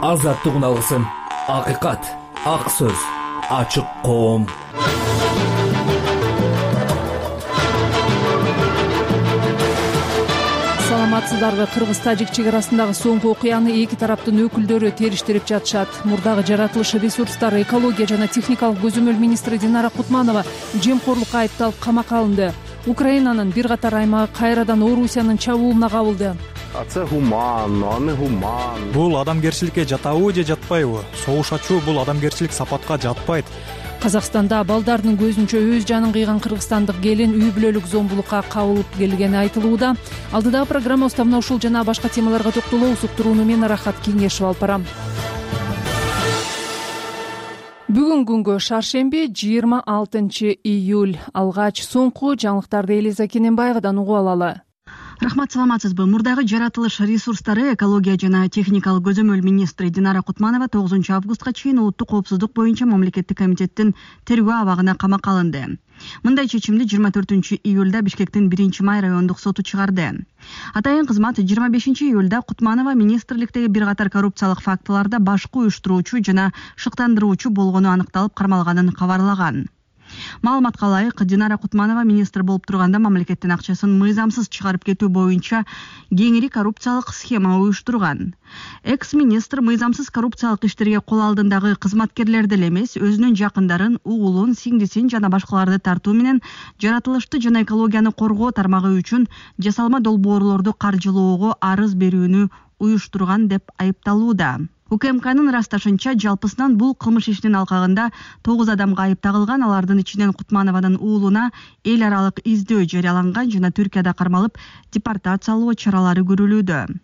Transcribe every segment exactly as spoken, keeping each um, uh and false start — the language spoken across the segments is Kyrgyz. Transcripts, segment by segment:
азаттык алсын. Акыйкат, ак сөз, ачык коом. Саламатсыздарбы? Кыргыз-тажик чек арасындагы соңку окуяны эки тараптын өкүлдөрү териштирип жатышат. Мурдагы жаратылыш ресурстары, экология жана техникалык көзөмөл министри Динара Кутманова жемкорлукка айыпталып камакка алынды. Украинанын бир катар аймагы кайрадан Орусиянын чабуулуна кабылды. Бул адамгерчиликке жатабы же жатпайбы? Согуш ачуу бул адамгерчилик сапатка жатпайт. Казакстанда балдардын көзүнчө өз жанын кыйган кыргызстандык келин үй бүлөлүк зомбулукка кабылып келгени айтылууда. Алдыдагы программабызда мына ушул жана башка темаларга токтолобуз. Уктурууну мен Рахат Кеңешев алып барам. Бүгүн күнгө шаршемби жыйырма алтынчы июль. Алгач соңку жаңылыктарды Элиза Кененбаевадан угуп алалы. Рахмат, саламатсызбы? Мурдагы жаратылыш ресурстары, экология жана техникалык көзөмөл министри Динара Кутманова тогузунчу августка чейин улуттук коопсуздук боюнча мамлекеттик комитеттин тергөө абагына камакка алынды. Мындай чечимди жыйырма төртүнчү июлда Бишкектин биринчи май райондук соту чыгарды. Атайын кызмат жыйырма бешинчи июлда Кутманова министрликтеги бир катар коррупциялык фактыларда башкы уюштуруучу жана шыктандыруучу болгону аныкталып кармалганын кабарлаган. Маалыматка ылайык, Динара Кутманова министр болуп турганда мамлекеттин акчасын мыйзамсыз чыгарып кетүү боюнча кеңири коррупциялык схема уюштурган. Экс-министр мыйзамсыз коррупциялык иштерге кол алдындагы кызматкерлерди эле эмес, өзүнүн жакындарын, уулун, сиңдисин жана башкаларды тартуу менен жаратылышты жана экологияны коргоо тармагы үчүн жасалма долбоорлорду каржылоого арыз берүүнү уюштурган деп айыпталууда. УКМКнын ырасташынча, жалпысынан бул кылмыш ишинин алкагында тогуз адамга айып тагылган. Алардын ичинен Кутманованын уулуна эл аралык издөө жарыяланган жана Түркияда кармалып депортациялоо чаралары көрүлүүдө.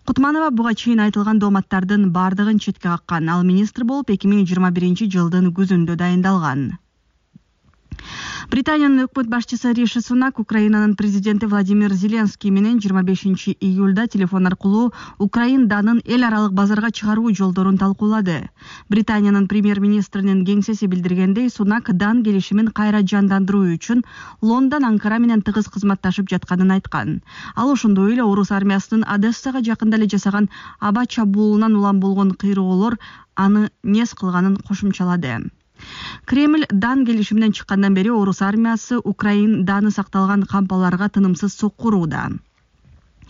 Кутманова буга чейин айтылган дооматтардын бардыгын четке каккан. Ал министр болуп эки миң жыйырма биринчи жылдын күзүндө дайындалган. Британиянын өкмөт башчысы Риши Сунак Украинанын президенти Владимир Зеленский менен жыйырма бешинчи июлда телефон аркылуу Украин данын эл аралык базарга чыгаруу жолдорун талкуулады. Британиянын премьер-министринин кеңсеси билдиргендей, Сунак дан келишимин кайра жандандыруу үчүн Лондон Анкара менен тыгыз кызматташып жатканын айткан. Ал ошондой эле орус армиясынын Одессага жакында эле жасаган аба чабуулунан улам болгон кыйроолор аны нес кылганын кошумчалады. Кремль дан келишиминен чыккандан бери орус армиясы Украин даны сакталган кампаларга тынымсыз соккурууда.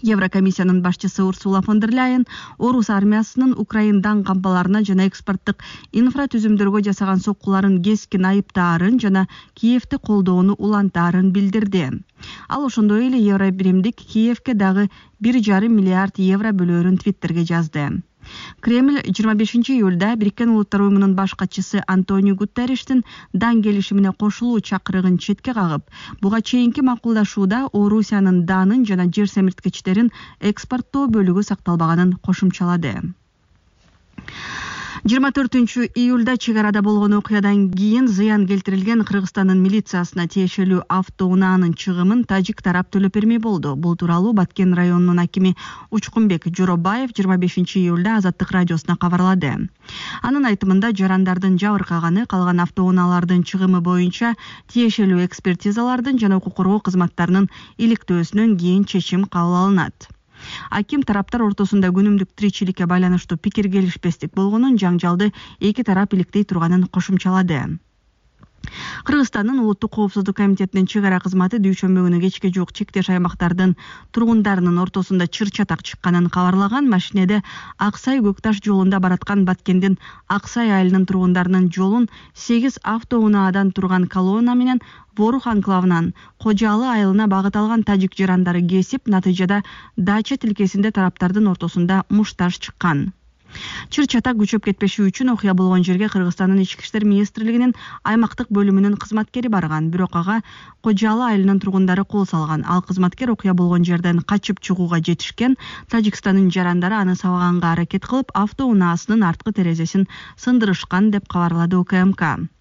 Еврокомиссиянын башчысы Урсула фон дер Ляйен орус армиясынын Украин дан кампаларына жана экспорттук инфратүзүмдөргө жасаган соккуларын кескин айыптаарын жана Киевти колдоону улантаарын билдирди. Ал ошондой эле Евробиримдик Киевке дагы бир жарым миллиард евро бөлөөрүн Твиттерге жазды. Кремль жыйырма бешинчи июлда Бириккен Улуттар уюмунун баш катчысы Антонио Гутерриштин дан келишимине кошулуу чакырыгын четке кагып, буга чейинки макулдашууда Орусиянын данын жана жер семирткичтерин экспорттоо бөлүгү сакталбаганын кошумчалады. жыйырма төртүнчү июлда чек арада болгон окуядан кийин зыян келтирилген Кыргызстандын милициясына тиешелүү автоунаанын чыгымын тажик тарап төлөп бермей болду. Бул тууралуу Баткен районунун акими Учкунбек Жоробаев жыйырма бешинчи июлда Азаттык радиосуна кабарлады. Анын айтымында жарандардын жабыркаганы, калган автоунаалардын чыгымы боюнча тиешелүү экспертизалардын жана укук коргоо кызматтарынын иликтөөсүнөн кийин чечим кабыл алынат. Аким тараптар ортосунда күнүмдүк тиричиликке байланыштуу пикир келишпестик болгонун, жаңжалды эки тарап иликтей турганын кошумчалады. Кыргызстандын улуттук коопсуздук комитетинин чек ара кызматы дүйшөмбү күнү кечке жуук чектеш аймактардын тургундарынын ортосунда чыр-чатак чыкканын кабарлаган. Машинеде Аксай Көкташ жолунда бараткан Баткендин Аксай айылынын тургундарынын жолун сегиз автоунаадан турган колонна менен Борух анклавынан Кожалы айылына багыт алган тажик жарандары кесип, натыйжада дача тилкесинде тараптардын ортосунда мушташ чыккан. Чыр-чатак күчөп кетпеши үчүн окуя болгон жерге Кыргызстандын ички иштер министрлигинин аймактык бөлүмүнүн кызматкери барган, бирок ага Кожалы айылынын тургундары кол салган. Ал кызматкер окуя болгон жерден качып чыгууга жетишкен. Тажикстандын жарандары аны сабаганга аракет кылып, автоунаасынын арткы терезесин сындырышкан деп кабарлады УКМК.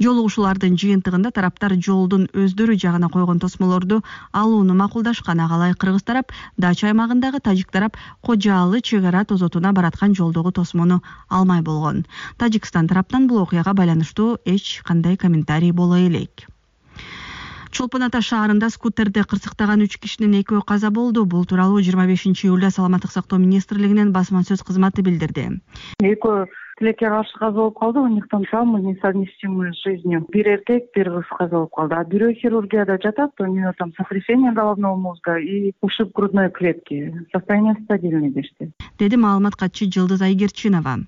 Жолугушуулардын жыйынтыгында тараптар жолдун өздөрү жагына койгон тосмолорду алууну макулдашкан. Ага ылайык Кыргыз тарап дача аймагындагы тажик тарап Кожалы чек ара тозотуна бараткан жолдогу тосмону алмай болгон. Тажикстан тараптан бул окуяга байланыштуу эч кандай комментарий боло элек. Чолпон Ата шаарында скутерди кырсыктаган үч кишинин экөө каза болду. Бул тууралуу жыйырма бешинчи июлда Саламаттык сактоо министрлигинин басма сөз кызматы билдирди. Экөө тилекке каршы каза болуп калды. У них там травмы несовместимые с жизнью. Бир эркек, бир кыз каза болуп калды. А бирөө хирургияда жатат, у него там сотрясение головного мозга и ушиб грудной клетки. Состояние стабильный дешти. Деди маалымат катчы Жылдыз Айгерчинова.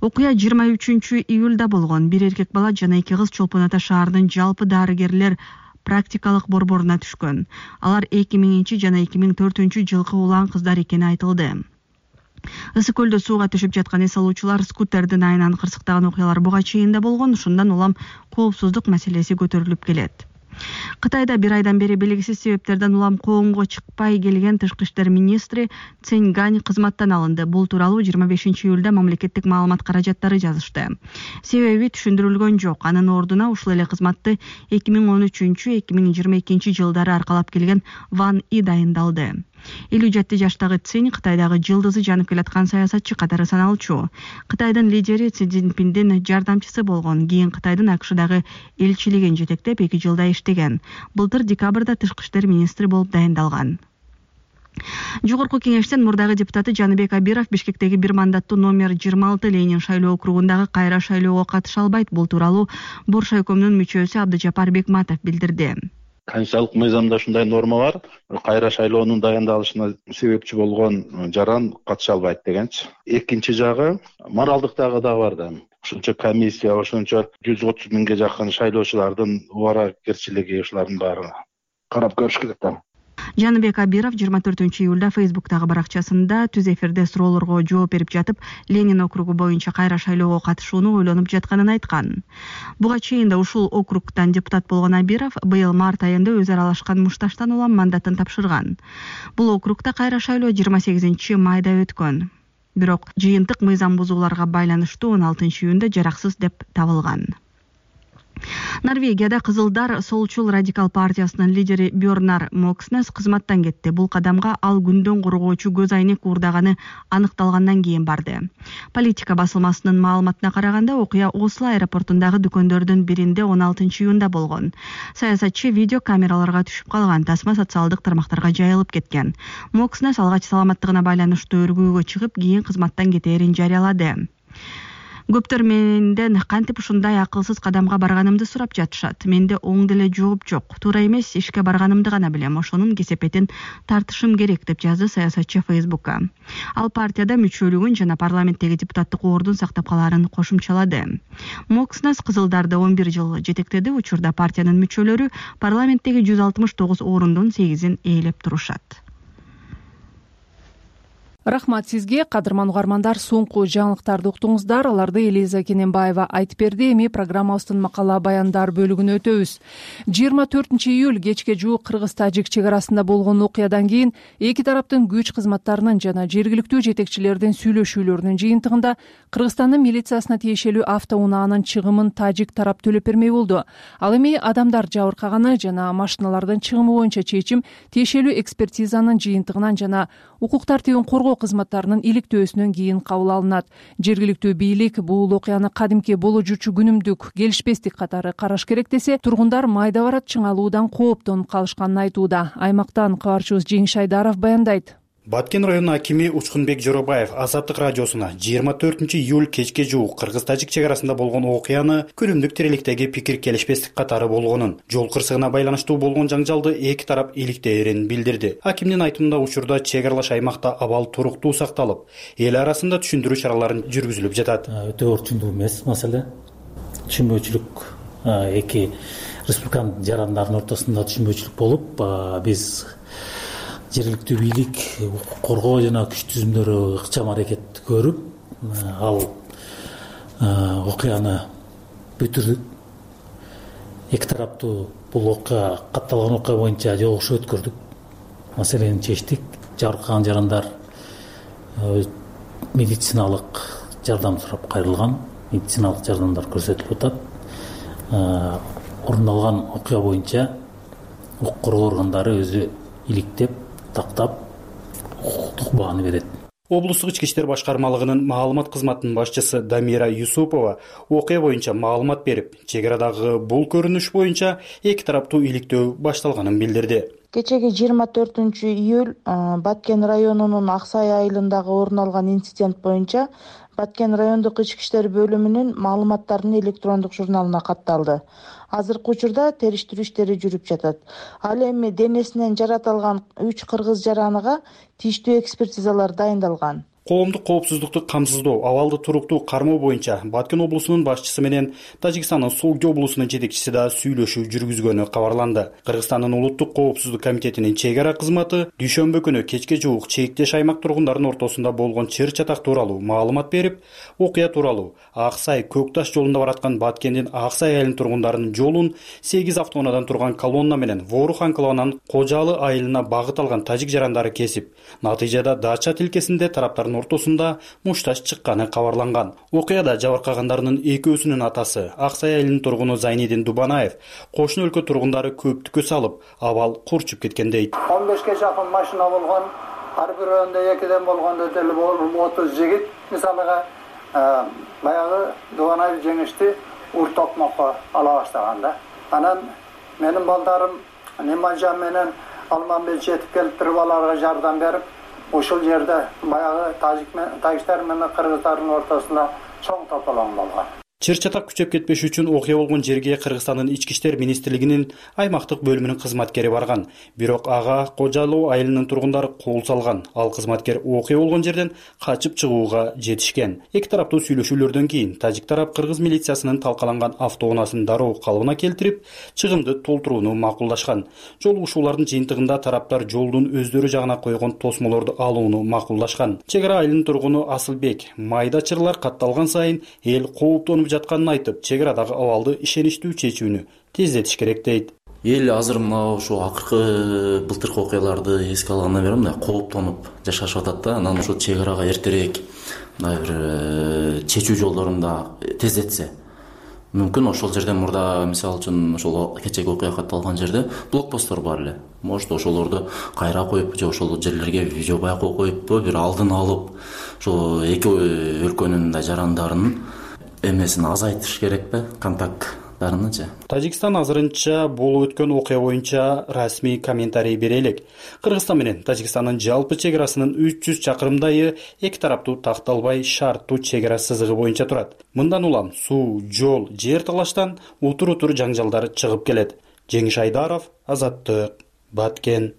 Окуя жыйырма үчүнчү июлда болгон. Бир эркек бала жана эки кыз Чолпон Ата шаарынын жалпы дарыгерлер практикалык борборуна түшкөн. Алар эки миңинчи жана эки миң төртүнчү жылкы улан кыздар экени айтылды. Ысык көлдө сууга түшүп жаткан эс алуучулар скутердин айынан кырсыктаган окуялар буга чейин да болгон. Ушундан улам коопсуздук маселеси көтөрүлүп келет. Кытайда бир айдан бери белгисиз себептерден улам коомго чыкпай келген тышкы иштер министри Цэнь Гань кызматтан алынды. Бул тууралуу жыйырма бешинчи июлда мамлекеттик маалымат каражаттары жазышты. Себеби түшүндүрүлгөн жок. Анын ордуна ушул эле кызматты эки миң он үчүнчү эки миң жыйырма экинчи жылдары аркалап келген Ван И дайындалды. элүү жети жаштагы Цинь Кытайдагы жылдызы жанып келаткан саясатчы катары саналчу. Кытайдын лидери Си Цзиньпиндин жардамчысы болгон. Кийин Кытайдын АКШдагы элчилигин жетектеп эки жылда иштеген. Былтыр декабрда тышкы иштер министри болуп дайындалган. Жогорку кеңештин мурдагы депутаты Жаныбек Абиров Бишкектеги бир мандаттуу номер жыйырма алты Ленин шайлоо округундагы кайра шайлоого катыша албайт. Бул тууралуу Боршайкомдун мүчөсү Абдыжапар Бекматов билдирди. Конституциялык мыйзамда ушундай норма бар. Кайра шайлоонун дайындалышына себепчи болгон жаран катыша албайт дегенчи. Экинчи жагы моралдыктагы да бар да. Ошончо комиссия, ошончо жүз отуз миңге жакын шайлоочулардын убаракерчилиги ушулардын баары карап көрүш керек да. Жаныбек Абиров жыйырма төртүнчү июлда Фейсбуктагы баракчасында түз эфирде суроолорго жооп берип жатып, Ленин округу боюнча кайра шайлоого катышууну ойлонуп жатканын айткан. Буга чейин да ушул округтан депутат болгон Абиров быйыл март айында өзү аралашкан мушташтан улам мандатын тапшырган. Бул округда кайра шайлоо жыйырма сегизинчи майда өткөн. Бирок жыйынтык мыйзам бузууларга байланыштуу он алтынчы июнда жараксыз деп табылган. Норвегияда Кызылдар Солчул радикал партиясынын лидери Бьорнар Мокснес кызматтан кетти. Бул кадамга ал күндөн коргоочу көз айнек уурдаганы аныкталгандан кийин барды. Политика басылмасынын маалыматына караганда, окуя Осло аэропортундагы дүкөндөрдүн биринде он алтынчы июнда болгон. Саясатчы видео камераларга түшүп калган, тасма социалдык тармактарга жайылып кеткен. Мокснес алгач саламаттыгына байланыштуу өргүүгө чыгып, кийин кызматтан кетээрин жарыялады. Көптөр менден кантип ушундай акылсыз кадамга барганымды сурап жатышат. Менде оң деле жооп жок. Туура эмес, ишке барганымды гана билем. Ошонун кесепетин тартышым керек деп жазды саясатчы Фейсбукка. Ал партияда мүчөлүгүн жана парламенттеги депутаттык ордун сактап калаарын кошумчалады. Мокснес Кызылдарды он бир жыл жетектеди. Учурда партиянын мүчөлөрү парламенттеги жүз алтымыш тогуз орундун сегизин ээлеп турушат. Рахмат сизге, кадырман угармандар. Соңку жаңылыктарды уктуңуздар. Аларды Элиза Кененбаева айтып берди. Эми программабыздын макала баяндар бөлүгүнө өтөбүз. жыйырма төртүнчү июль кечке жуук Кыргыз-Тажик чек арасында болгон окуядан кийин эки тараптын күч кызматтарынын жана жергиликтүү жетекчилердин сүйлөшүүлөрүнүн жыйынтыгында Кыргызстандын милициясына тиешелүү автоунаанын чыгымын Тажик тарап төлөп бермей болду. Ал эми адамдар жабыркаганы жана машиналардын чыгымы боюнча чечим тиешелүү экспертизанын жыйынтыгынан жана укук тартибин коргоо кызматтарынын иликтөөсүнөн кийин кабыл алынат. Жергиликтүү бийлик бул окуяны кадимки боло жүрчү күнүмдүк келишпестик катары караш керек десе, тургундар майда барат чыңалуудан кооптонуп калышканын айтууда. Аймактан кабарчыбыз Жеңиш Айдаров баяндайт. Баткен районунун акими Учкунбек Жоробаев Азаттык радиосуна жыйырма төртүнчү июль кечке жуук Кыргыз-Тажик чек арасында болгон окуяны күнүмдүк тиреликтеги пикир келишпестик катары болгонун, жол кырсыгына байланыштуу болгон жаңжалды эки тарап иликтээрин билдирди. Акимдин айтымында учурда чек аралаш аймакта абал туруктуу сакталып, эл арасында түшүндүрүү чаралары жүргүзүлүп жатат. Өтө орчундуу эмес маселе. Түшүнбөөчүлүк эки республиканын жарандардын ортосунда түшүнбөөчүлүк болуп, биз жергиликтүү бийлик, укук коргоо жана күч түзүмдөрү ыкчам аракет көрүп, ал окуяны бүтүрдүк. Эки тараптуу бул окуя катталган окуя боюнча жолугушуу өткөрдүк. Маселени чечтик. Жабыркаган жарандар медициналык жардам сурап кайрылган. Медициналык жардамдар көрсөтүлүп атат. Орун алган окуя боюнча укук коргоо органдары өзү иликтеп, тактап, укуктук бааны берет. Облустук ички иштер башкармалыгынын маалымат кызматынын башчысы Дамира Юсупова окуя боюнча маалымат берип, чек арадагы бул көрүнүш боюнча эки тараптуу иликтөө башталганын билдирди. Кечеги жыйырма төртүнчү июль Баткен районунун Аксай айылындагы орун алган инцидент боюнча Баткен райондук ички иштер бөлүмүнүн маалыматтарын электрондук журналына катталды. Азыркы учурда териштирүү иштери жүрүп жатат. Ал эми денесинен жаратылган үч кыргыз жараныга тийиштүү экспертизалар дайындалган. Коомдук коопсуздукту камсыздоо, абалды туруктуу кармоо боюнча Баткен облусунун башчысы менен Тажикстандын Сулги облусунун жетекчиси да сүйлөшүү жүргүзгөнү кабарланды. Кыргызстандын улуттук коопсуздук комитетинин чек ара кызматы дүйшөмбү күнү кечке жуук чектеш аймак тургундарынын ортосунда болгон чыр чатак тууралуу маалымат берип, окуя тууралуу Аксай Көкташ жолунда бараткан Баткендин Аксай айылынын тургундарынын жолун сегиз автоунаадан турган колонна менен Ворух анклавынын Кожалы айылына багыт алган тажик жарандары кесип, натыйжада Дача тилкесинде тараптардын ортосунда мушташ чыкканы кабарланган. Окуяда жабыркагандарынын экөөсүнүн атасы Аксай айылынын тургуну Зайнидин Дубанаев кошуна өлкө тургундары көптүккө салып, абал курчуп кеткен дейт. он бешке жакын машина болгон, ар бирөөнүндө экиден болгондо деле отуз жигит, мисалыга баягы Дубанаев жеңишти ур токмокко ала баштаган да. Анан менин балдарым Неманжан менен Алманбет жетип келип туруп аларга жардам берип, ошол жерде баягы тажиктер менен кыргыздардын ортосунда чоң тополоң болгон. Чыр чатак күчөп кетпеш үчүн окуя болгон жерге Кыргызстандын ички иштер министрлигинин аймактык бөлүмүнүн кызматкери барган. Бирок ага Кожалуу айылынын тургундары кол салган. Ал кызматкер окуя болгон жерден качып чыгууга жетишкен. Эки тараптуу сүйлөшүүлөрдөн кийин тажик тарап кыргыз милициясынын талкаланган автоунаасын дароо калыбына келтирип, чыгымды толтурууну макулдашкан. Жолугушуулардын жыйынтыгында тараптар жолдун өздөрү жагына койгон тосмолорду алууну макулдашкан. Чек ара айылынын тургуну Асылбек майда чырлар катталган сайын эл кооптонуп жатканын айтып, чек арадагы абалды ишеничтүү чечүүнү тездетиш керек дейт. Эл азыр мына ошо акыркы былтыркы окуяларды эске алгандан бери мындай кооптонуп жашашып атат да. Анан ошо чек арага эртерээк мындай бир чечүү жолдорун да тездетсе мүмкүн. Ошол жерден мурда мисалы үчүн ошол кечеги окуя катталган жерде блокпосттор бар эле. Может ошолорду кайра коюп же ошол жерлерге видео байкоо коюппу, бир алдын алып ошо эки өлкөнүн мындай жарандарынын эмесин азайтыш керекпи, контакттарынычы. Тажикстан азырынча болуп өткөн окуя боюнча расмий комментарий бере элек. Кыргызстан менен Тажикстандын жалпы чек арасынын үч жүз чакырымдайы эки тараптуу такталбай шарттуу чек ара сызыгы боюнча турат. Мындан улам суу, жол, жер талаштан утур-утур жаңжалдар чыгып келет. Жеңиш Айдаров, Азаттык, Баткен.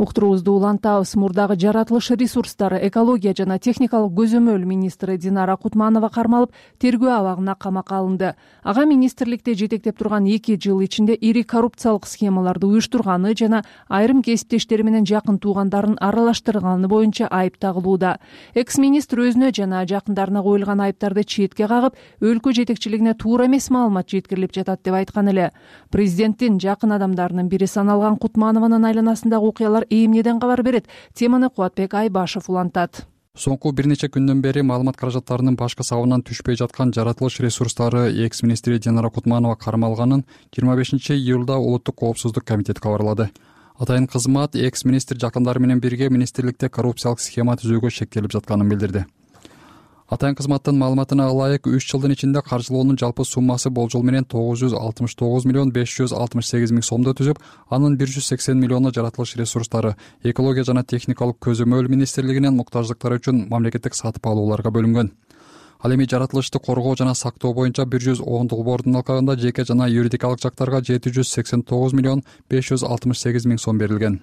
Уктуруубузду улантабыз. Мурдагы жаратылыш ресурстары, экология жана техникалык көзөмөл министри Динара Кутманова кармалып, тергөө абагына камакка алынды. Ага министрликте жетектеп турган эки жыл ичинде ири коррупциялык схемаларды уюштурганы жана айрым кесиптештери менен жакын туугандарын аралаштырганы боюнча айып тагылууда. Экс-министр өзүнө жана жакындарына коюлган айыптарды четке кагып, өлкө жетекчилигине туура эмес маалымат жеткирилип жатат деп айткан эле. Президенттин жакын адамдарынын бири саналган Кутманованын айланасындагы окуялар эмнеден кабар берет? Теманы Кубатбек Айбашев улантат. Соңку бир нече күндөн бери маалымат каражаттарынын башкы сабынан түшпөй жаткан жаратылыш ресурстары экс-министри Динара Кутманова кармалганын жыйырма бешинчи июлда Улуттук коопсуздук комитети кабарлады. Атайын кызмат экс-министр жакындары менен бирге министрликте коррупциялык схема түзүүгө шектелип жатканын билдирди. Атайын кызматтын маалыматына ылайык үч жылдын ичинде каржылоонун жалпы суммасы болжол менен тогуз жүз алтымыш тогуз миллион беш жүз алтымыш сегиз миң сомду түзүп, анын бир жүз сексен миллиону жаратылыш ресурстары, экология жана техникалык көзөмөл министрлигинин муктаждыктары үчүн мамлекеттик сатып алууларга бөлүнгөн. Ал эми жаратылышты коргоо жана сактоо боюнча бир жүз он долбоордун алкагында жеке жана юридикалык жактарга жети жүз сексен тогуз миллион беш жүз алтымыш сегиз миң сом берилген.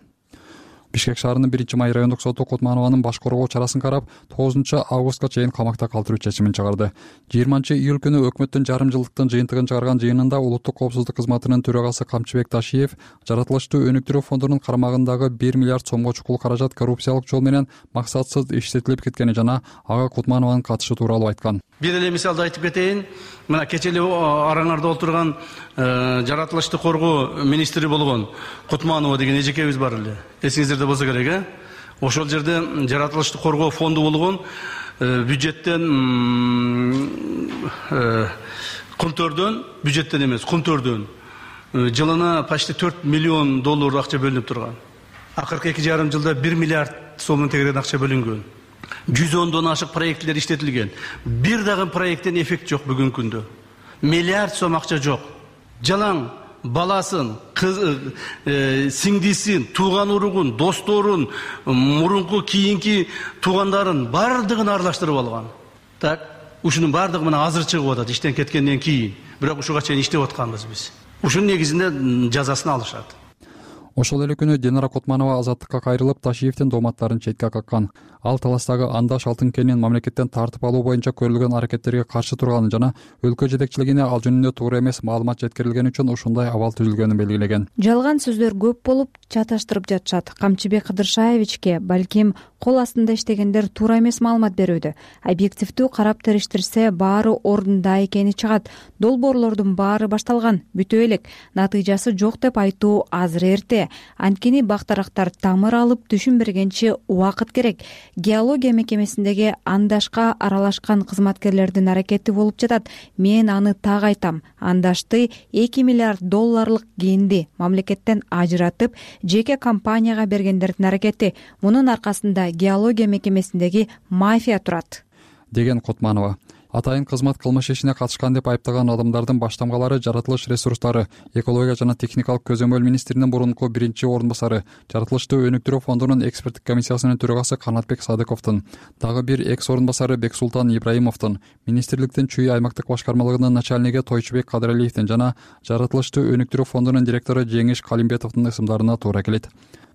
Бишкек шаарынын биринчи май райондук соту Кутманованын баш коргоо чарасын карап, тогузунчу августка чейин камакта калтыруу чечимин чыгарды. жыйырманчы июль күнү өкмөттүн жарым жылдыктын жыйынтыгын чыгарган жыйынында Улуттук коопсуздук кызматынын төрагасы Камчыбек Ташиев жаратылыштуу өнүктүрүү фондунун карамагындагы бир миллиард сомго чукул каражат коррупциялык жол менен максатсыз иштетилип кеткени жана ага Кутманованын катышы тууралуу айткан. Бир эле мисалды айтып кетейин. Мына кече эле араңарда отурган жаратылышты коргоо министри болгон Кутманова деген эжекебиз бар эле. Эсиңиздерде болсо керек, э? Ошол жерде жаратылышты коргоо фонду болгон бюджеттен кумтөрдөн, бюджеттен эмес, кумтөрдөн жылына почти төрт миллион доллар акча бөлүнүп турган. акыркы эки жарым жылда бир миллиард сомдон тегерек акча бөлүнгөн. жүз ондон ашык проекттер иштетилген. Бир дагы проекттен эффект жок бүгүнкү күндө. Миллиард сом акча жок. Жалаң баласын, кыз, э, сиңдисин, тууган уругун, досторун, мурунку кийинки туугандарын бардыгын аралаштырып алган. Так, ушунун бардыгы мына азыр чыгып атат иштен кеткенден кийин. Бирок ушуга чейин иштеп атканбыз биз. Ушунун негизинде жазасын алышат. Ошол эле күнү Динара Кутманова азаттыкка кайрылып, Ташиевдин дооматтарын четке каккан. Ал талаштагы андаш алтын кенин мамлекеттен тартып алуу боюнча көрүлгөн аракеттерге каршы турганын жана өлкө жетекчилигине ал жөнүндө туура эмес маалымат жеткирилгени үчүн ушундай абал түзүлгөнүн белгилеген. Жалган сөздөр көп болуп, чаташтырып жатышат. Камчыбек Кыдыршаевичке балким кол астында иштегендер туура эмес маалымат берүүдө. Объективдүү карап териштирсе, баары ордунда экени чыгат. Долбоорлордун баары башталган, бүтө элек. Натыйжасы жок деп айтуу азыр эрте. Анткени бактарактар тамыр алып түшүнбергенче убакыт керек. Геология мекемесиндеги андашка аралашкан кызматкерлердин аракети болуп жатат. Мен аны так айтам. Андашты эки миллиард долларлык кенди мамлекеттен ажыратып, жеке компанияга бергендердин аракети. Мунун аркасында геология мекемесиндеги мафия турат, деген Кутманова. Атайын кызмат кылмыш ишине катышкан деп айыптаган адамдардын баштамгалары жаратылыш ресурстары, экология жана техникалык көзөмөл министринин мурунку биринчи орун басары, жаратылышты өнүктүрүү фондунун эксперттик комиссиясынын төрагасы Канатбек Садыковдун, дагы бир экс орун басары Бексултан Ибраимовдун, министрликтин Чүй аймактык башкармалыгынын начальниги Тойчубек Кадыралиевдин жана жаратылышты өнүктүрүү фондунун директору Жеңиш Калимбетовдун ысымдарына туура келет.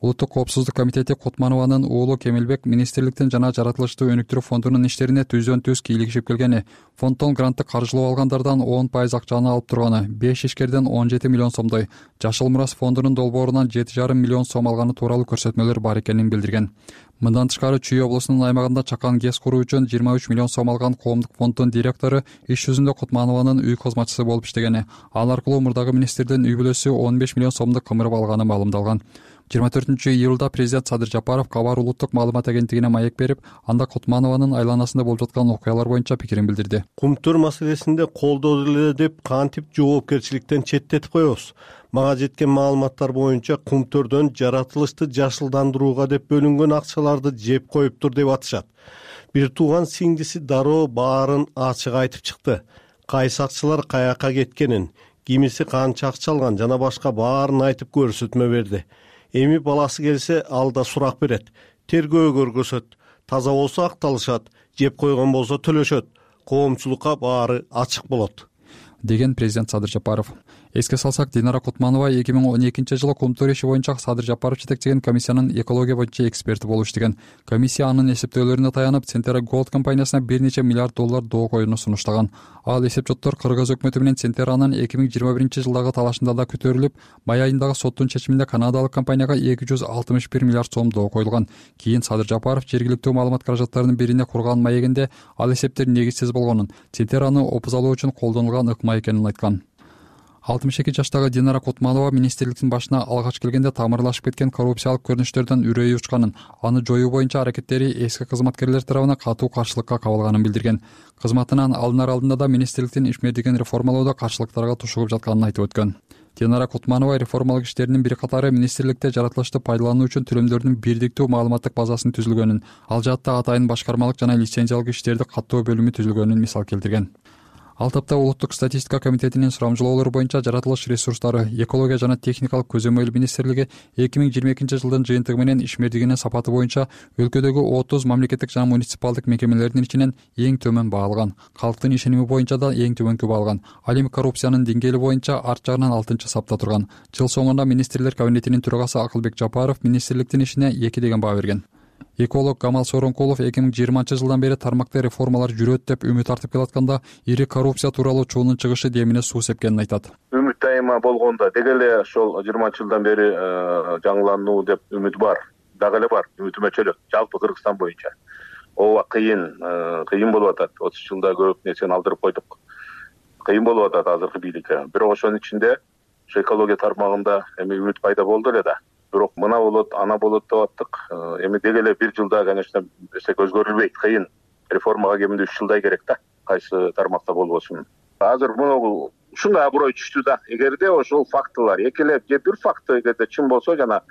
Улуттук коопсуздук комитети Кутманованын уулу Кемелбек министрликтин жана жаратылышты өнүктүрүү фондунун иштерине түздөн түз кийлигишип келгени, фонддон грантты каржылап алгандардан он пайыз акчаны алып турганы, беш ишкерден он жети миллион сомдой, Жашыл Мурас фондунун долбоорунан жети жарым миллион сом алганы тууралуу көрсөтмөлөр бар экенин билдирген. Мындан тышкары Чүй облусунун аймагында чакан ГЭС куруу үчүн жыйырма үч миллион сом алган коомдук фонддун директору иш жүзүндө Кутманованын үй кызматчысы болуп иштегени, ал аркылуу мурдагы министрдин үй бүлөсү он беш миллион сомду кымырып алганы маалымдалган. жыйырма төртүнчү июлда президент Садыр Жапаров Кабар улуттук маалымат агенттигине маек берип, анда Кутманованын айланасында болуп жаткан окуялар боюнча пикирин билдирди. Кумтөр маселесинде колдоо эле деп кантип жоопкерчиликтен четтетип коебуз? Мага жеткен маалыматтар боюнча кумтөрдөн жаратылышты жашылдандырууга деп бөлүнгөн акчаларды жеп коюптур деп атышат. Бир тууган сиңдиси дароо баарын ачык айтып чыкты. Кайсы акчалар каяка кеткенин, кимиси канча акча алган жана башка баарын айтып көрсөтмө берди. Эми баласы келсе, ал да сурак берет. Тергөө көргөзөт. Таза болсо акталышат, жеп койгон болсо төлөшөт. Коомчулукка баары ачык болот, деген президент Садыр Жапаров. Эске салсак, Динара Кутманова эки миң он экинчи жылы кумтөр иши боюнча Садыр Жапаров жетектеген комиссиянын экология боюнча эксперти болуп иштеген. Комиссия анын эсептөөлөрүнө таянып, Центера Голд компаниясына бир нече миллиард доллар доо коюуну сунуштаган. Ал эсепчоттор Кыргыз өкмөтү менен Центеранын эки миң жыйырма биринчи жылдагы талашында да көтөрүлүп, май айындагы соттун чечиминде канадалык компанияга эки жүз алтымыш бир миллиард сом доо коюлган. Кийин Садыр Жапаров жергиликтүү маалымат каражаттарынын бирине курган маегинде ал эсептер негизсиз болгонун, Центераны опузалоо үчүн колдонулган ыкма экенин айткан. алтымыш эки жаштагы Динара Кутманова министрликтин башына алгач келгенде тамырлашып кеткен коррупциялык көрүнүштөрдөн үрөйү учканын, аны жоюу боюнча аракеттери эски кызматкерлер тарабынан катуу каршылыкка кабылганын билдирген. Кызматынан алынар алдында да министрликтин ишмердигин реформалоодо каршылыктарга тушугуп жатканын айтып өткөн. Динара Кутманова реформалык иштеринин бир катары министрликте жаратылышты пайдалануу үчүн төлөмдөрдүн бирдиктүү маалыматтык базасын түзүлгөнүн, ал жаатта атайын башкармалык жана лицензиялык иштерди каттоо бөлүмү түзүлгөнүн мисал келтирген. Ал тапта Улуттук статистика комитетинин сурамжылоолору боюнча жаратылыш ресурстары, экология жана техникалык көзөмөл министрлиги эки миң жыйырма экинчи жылдын жыйынтыгы менен ишмердигинин сапаты боюнча өлкөдөгү отуз мамлекеттик жана муниципалдык мекемелердин ичинен эң төмөн баалган, калктын ишеними боюнча да эң төмөнкү баалган. Ал эми коррупциянын деңгээли боюнча арт жагынан алтынчы сапта турган. Жыл соңунда министрлер кабинетинин төрагасы Акылбек Жапаров министрликтин ишине эки деген баа берген. Эколог Камал Сооронкулов эки миң жыйырманчы жылдан бери тармакта реформалар жүрөт деп үмүт артып келатканда, ири коррупция тууралуу чуунун чыгышы демине суу сепкенин айтат. Үмүт дайыма болгондо деги эле ошол жыйырманчы жылдан бери жаңылануу деп үмүт бар. Дагы эле бар, үмүтүмө чөлөк. Жалпы Кыргызстан боюнча. Ооба кыйын, кыйын болуп атат. отуз жылда көп нерсени алдырып койдук. Кыйын болуп атат азыркы бийликке. Бирок ошонун ичинде ошо экология тармагында эми үмүт пайда болду эле да. Бирок мына болот, ана болот деп аттык. Эми деги эле бир жылда, конечно, эсек өзгөрүлбөйт, кыйын. Реформага кеминде үч жылдай керек да, кайсы тармакта болбосун. Азыр муну ушундай аброй түштү да. Эгерде ошол фактылар, эки эле же бир факты эгерде чын болсо, жана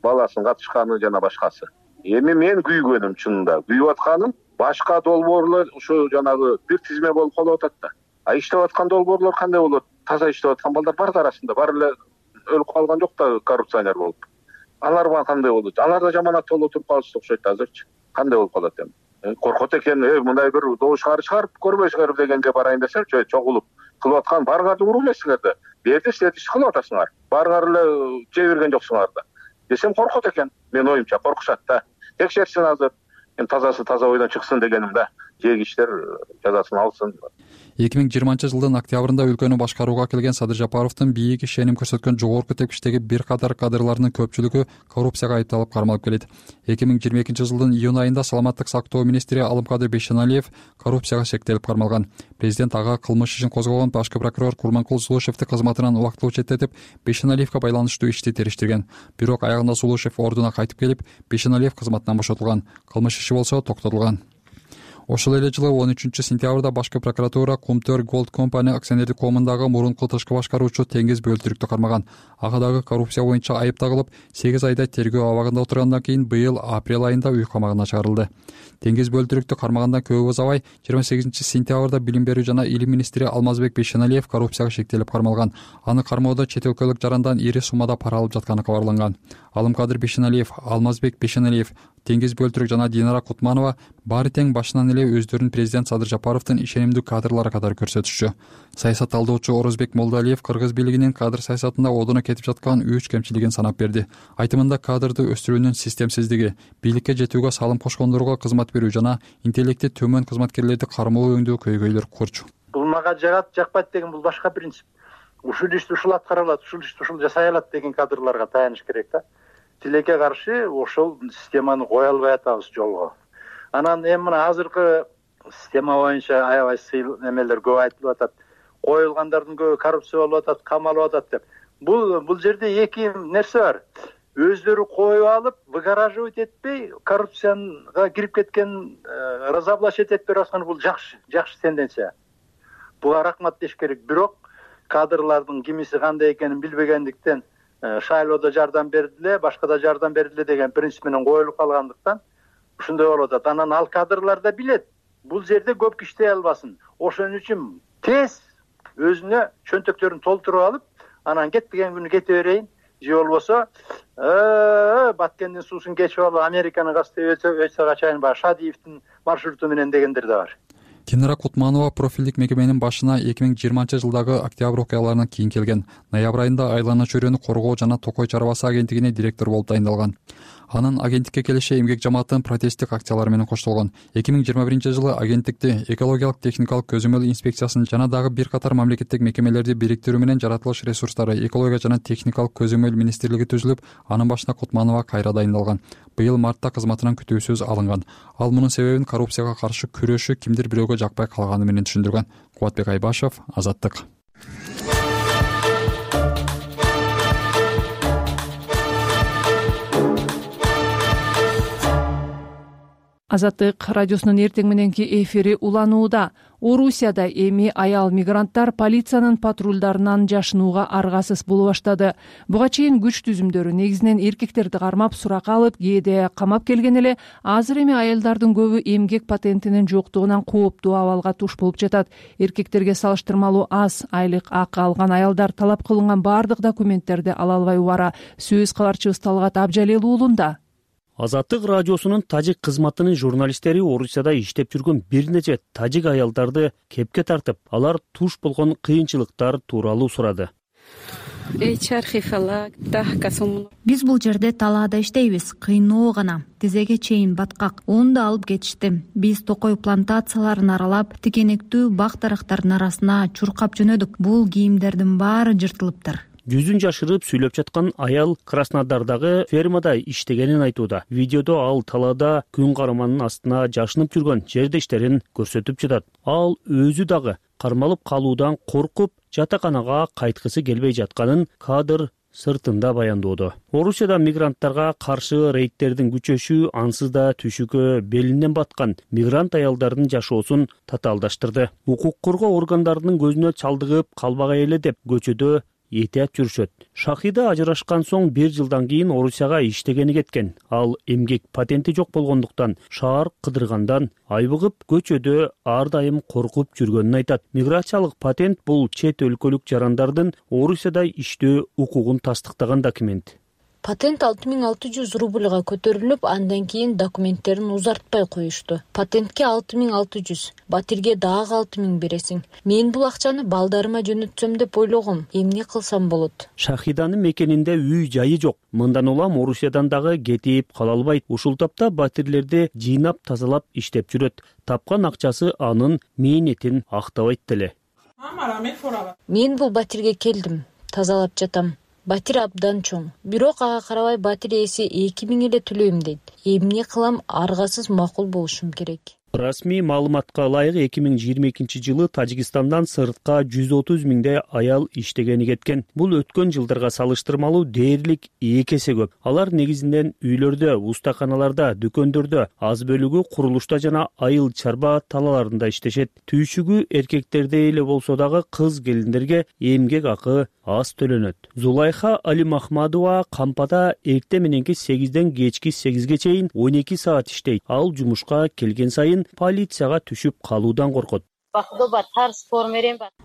баласын катышканы жана башкасы. Эми мен күйгөнүм, чынында күйүп атканым башка долбоорлор ушу жанагы бир тизме болуп калып атат да. А иштеп аткан долбоорлор кандай болот? Таза иштеп аткан балдар бар да арасында, баары эле өлүп калган жок да коррупционер болуп. Алар кандай болот? Алар да жаманат болуп туруп калышты окшойт азырчы. Кандай болуп калат эми? Коркот экен, э мындай бир добуш чыгарып көрбөйсүңөр дегенге барайын десем, чогулуп кылып аткан баарыңарды уруп элесиңер да. Берди силер иш кылып атасыңар. Баарыңар эле жей берген жоксуңар да. Десем коркот экен. Мен оюмча коркушат да. Текшерсин азыр. Эми тазасы таза ойдон чыксын дегеним да. Жегиштер жазасын алсын. эки миң жыйырманчы жылдын октябрында өлкөнү башкарууга келген Садыр Жапаровдун бийик ишеним көрсөткөн жогорку тепкичтеги бир катар кадрларынын көпчүлүгү коррупцияга айыпталып кармалып келет. эки миң жыйырма экинчи жылдын июнь айында саламаттык сактоо министри Алымкадыр Бейшеналиев коррупцияга шектелип кармалган. Президент ага кылмыш ишин козгогон башкы прокурор Курманкул Сулушевди кызматынан убактылуу четтетип, Бейшеналиевге байланыштуу ишти териштирген. Бирок аягында Сулушев ордуна кайтып келип, Бейшеналиев кызматынан бошотулган. Кылмыш иши болсо токтотулган. Ошол эле жылы он үчүнчү сентябрда башкы прокуратура Кумтөр Gold Company акционердик коомундагы мурунку тышкы башкаруучу Теңиз Бөлтүрүктү кармаган. Ага дагы коррупция боюнча айып тагылып, сегиз айда тергөө абагында отургандан кийин быйыл апрель айында үй камагына чыгарылды. Теңиз Бөлтүрүктү кармагандан көп узабай жыйырма сегизинчи сентябрда Билим берүү жана илим министри Алмазбек Бейшеналиев коррупцияга шектелип кармалган. Аны кармоодо чет өлкөлүк жарандан ири суммада пара алып жатканы кабарланган. Алымкадыр Бейшеналиев, Алмазбек Бейшеналиев, Теңиз Бөлтүрүк жана Динара Кутманова баары тең башынан эле өздөрүн президент Садыр Жапаровдун ишенимдүү кадрлары катары көрсөтүшчү. Саясат талдоочу Орозбек Молдалиев кыргыз бийлигинин кадр саясатында одуна кетип жаткан үч кемчилигин санап берди. Айтымында кадрды өстүрүүнүн системсиздиги, бийликке жетүүгө салым кошкондорго кызмат берүү жана интеллекти төмөн кызматкерлерди кармоо өңдүү көйгөйлөр курчу. Бул мага жагат, жакпайт деген бул башка принцип. Ушул ишти ушул аткара алат, ушул ишти ушул жасай алат деген кадрларга таяныш керек да. Тилекке каршы ошол системаны кое албай атабыз жолго. Анан эми мына азыркы система боюнча аябай сыйл эмелер көп айтылып атат. Коюлгандардын көбү коррупция болуп атат, камалып атат деп. Бул бул жерде эки нерсе бар. Өздөрү коюп алып, выгораживать этпей, коррупцияга кирип кеткен, разоблачить этпей аткан бул жакшы, жакшы тенденция. Буга рахмат деш керек. Бирок кадрлардын кимиси кандай экенин билбегендиктен шайлоодо жардам бердиле, башка да жардам бердиле деген принцип менен коюлуп калгандыктан ушундай болуп атат. Анан ал кадрлар да билет, бул жерде көп иштей албасын. Ошон үчүн тез өзүнө чөнтөктөрүн толтуруп алып, анан кетпеген күнү кете берейин, же болбосо Баткендин суусун кечип алып Американы кастеп өтсө чейин баягы Шадиевдин маршруту менен дегендер да бар. Динара Кутманова профилдик мекеменин башына эки миң жыйырманчы жылдагы октябрь окуяларынан кийин келген. Ноябрь айында Айлана чөйрөнү коргоо жана Токой чарбасы агенттигине директор болуп дайындалган. Анын агенттикке келиши эмгек жамааттын протесттик акциялары менен коштолгон. эки миң жыйырма биринчи жылы агенттикти экологиялык техникалык көзөмөл инспекциясын жана дагы бир катар мамлекеттик мекемелерди бириктирүү менен жаратылыш ресурстары, экология жана техникалык көзөмөл министрлиги түзүлүп, анын башына Кутманова кайра дайындалган. Быйыл мартта кызматынан күтүүсүз алынган. Ал мунун себебин коррупцияга каршы күрөшү кимдир бирөөгө жакпай калганы менен түшүндүргөн. Кубатбек Айбашев, Азаттык. Азаттык радиосунун эртең мененки эфири уланууда. Орусияда эми аял мигранттар полициянын патрулдарынан жашынууга аргасыз боло баштады. Буга чейин күч түзүмдөрү негизинен эркектерди кармап, суракка алып, кээде камап келген эле, азыр эми аялдардын көбү эмгек патентинин жоктугунан кооптуу абалга туш болуп жатат. Эркектерге салыштырмалуу аз айлык акы алган аялдар талап кылынган баардык документтерди ала албай убара. Сөз кабарчыбыз Талгат Абжалел уулунда. Азаттык радиосунун тажик кызматынын журналисттери Орусияда иштеп жүргөн бир нече тажик аялдарды кепке тартып, алар туш болгон кыйынчылыктар тууралуу сурады. Биз бул жерде талаада иштейбиз, кыйноо гана, тизеге чейин баткак, уну да алып кетишти. Биз Токой плантацияларын аралап, тикенектүү бак дарактардын арасына чуркап жөнөдүк. Бул кийимдердин баары жыртылыптыр. Жүзүн жашырып сүйлөп жаткан аял Краснодардагы фермада иштегенин айтууда. Видеодо ал талаада күн карманын астына жашынып жүргөн жердештерин көрсөтүп жатат. Ал өзү дагы кармалып калуудан коркуп, жатаканага кайткысы келбей жатканын кадр сыртында баяндоодо. Орусияда мигранттарга каршы рейдтердин күчөшү ансыз да түшүккө белинен баткан мигрант аялдардын жашоосун татаалдаштырды. Укук коргоо органдарынын көзүнө чалдыгып калбагай эле деп көчөдө этият жүрүшөт. Шахида ажырашкан соң бир жылдан кийин Орусияга иштегени кеткен. Ал эмгек патенти жок болгондуктан шаар кыдыргандан айбыгып көчөдө ар дайым коркуп жүргөнүн айтат. Миграциялык патент бул чет өлкөлүк жарандардын Орусияда иштөө укугун тастыктаган документ. Патент алты миң алты жүз рубльга көтөрүлүп, андан кийин документтерин узартпай коюшту. Патентке алты миң алты жүз, батирге дагы алты миң бересиң. Мен бул акчаны балдарыма жөнөтсөм деп ойлогом. Эмне кылсам болот? Шахиданын мекенинде үй жайы жок. Мындан улам Орусиядан дагы кетип кала албайт. Ушул тапта батирлерди жыйнап тазалап иштеп жүрөт. Тапкан акчасы анын мээнетин актабайт деле. Мен бул батирге келдим, тазалап жатам. Батир абдан чоң. Бирок ага карабай батир ээси эки миң эле төлөйм дейт. Эмне кылам, аргасыз макул болушум керек. Расмий маалыматка ылайык эки миң жыйырма экинчи жылы Тажикстандан сыртка жүз отуз миңдей аял иштегени кеткен. Бул өткөн жылдарга салыштырмалуу дээрлик эки эсе көп. Алар негизинен үйлөрдө, устаканаларда, дүкөндөрдө, аз бөлүгү курулушта жана айыл чарба талааларында иштешет. Түйшүгү эркектерде эле болсо дагы кыз келиндерге эмгек акы аз төлөнөт. Зулайха Алимахмадова кампада эртең мененки сегизден кечки сегизге чейин он эки саат иштейт. Ал жумушка келген сайын полицияга түшүп калуудан коркот.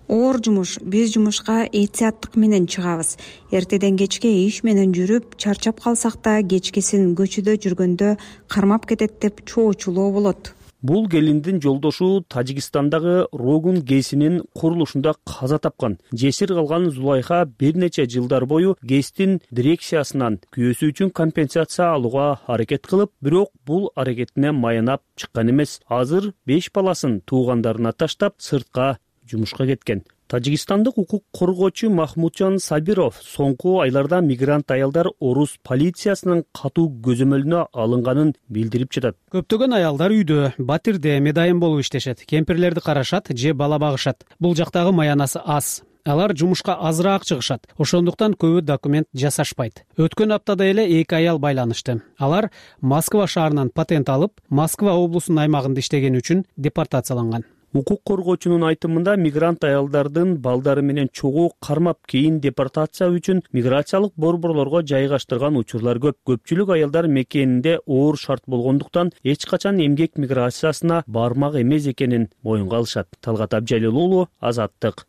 Оор жумуш, биз жумушка этияттык менен чыгабыз. Эртеден кечке иш менен жүрүп, чарчап калсак да кечкисин көчөдө жүргөндө кармап кетет деп чоочулоо болот. Бул келиндин жолдошу Тажикстандагы Рогун ГЭСинин курулушунда каза тапкан. Жесир калган Зулайха бир нече жылдар бою ГЭСтин дирекциясынан күйөөсү үчүн компенсация алууга аракет кылып, бирок бул аракетине маянап чыккан эмес. Азыр беш баласын туугандарына таштап сыртка жумушка кеткен. Тажикстандык укук коргоочу Махмуджан Сабиров соңку айларда мигрант аялдар орус полициясынын катуу көзөмөлүнө алынганын билдирип жатат. Көптөгөн аялдар үйдө, батирде медайым болуп иштешет, кемпирлерди карашат же бала багышат. Бул жактагы маянасы аз. Алар жумушка азыраак чыгышат. Ошондуктан көбү документ жасашпайт. Өткөн аптада эле эки аял байланышты. Алар Москва шаарынан патент алып, Москва облусунун аймагында иштегени үчүн депортацияланган. Укук коргоочунун айтымында мигрант аялдардын балдары менен чогуу кармап кийин депортация үчүн миграциялык борборлорго жайгаштырган учурлар көп. Көпчүлүк аялдар мекенинде оор шарт болгондуктан эч качан эмгек миграциясына бармак эмес экенин моюнга алышат. Талгат Абжалил уулу, Азаттык.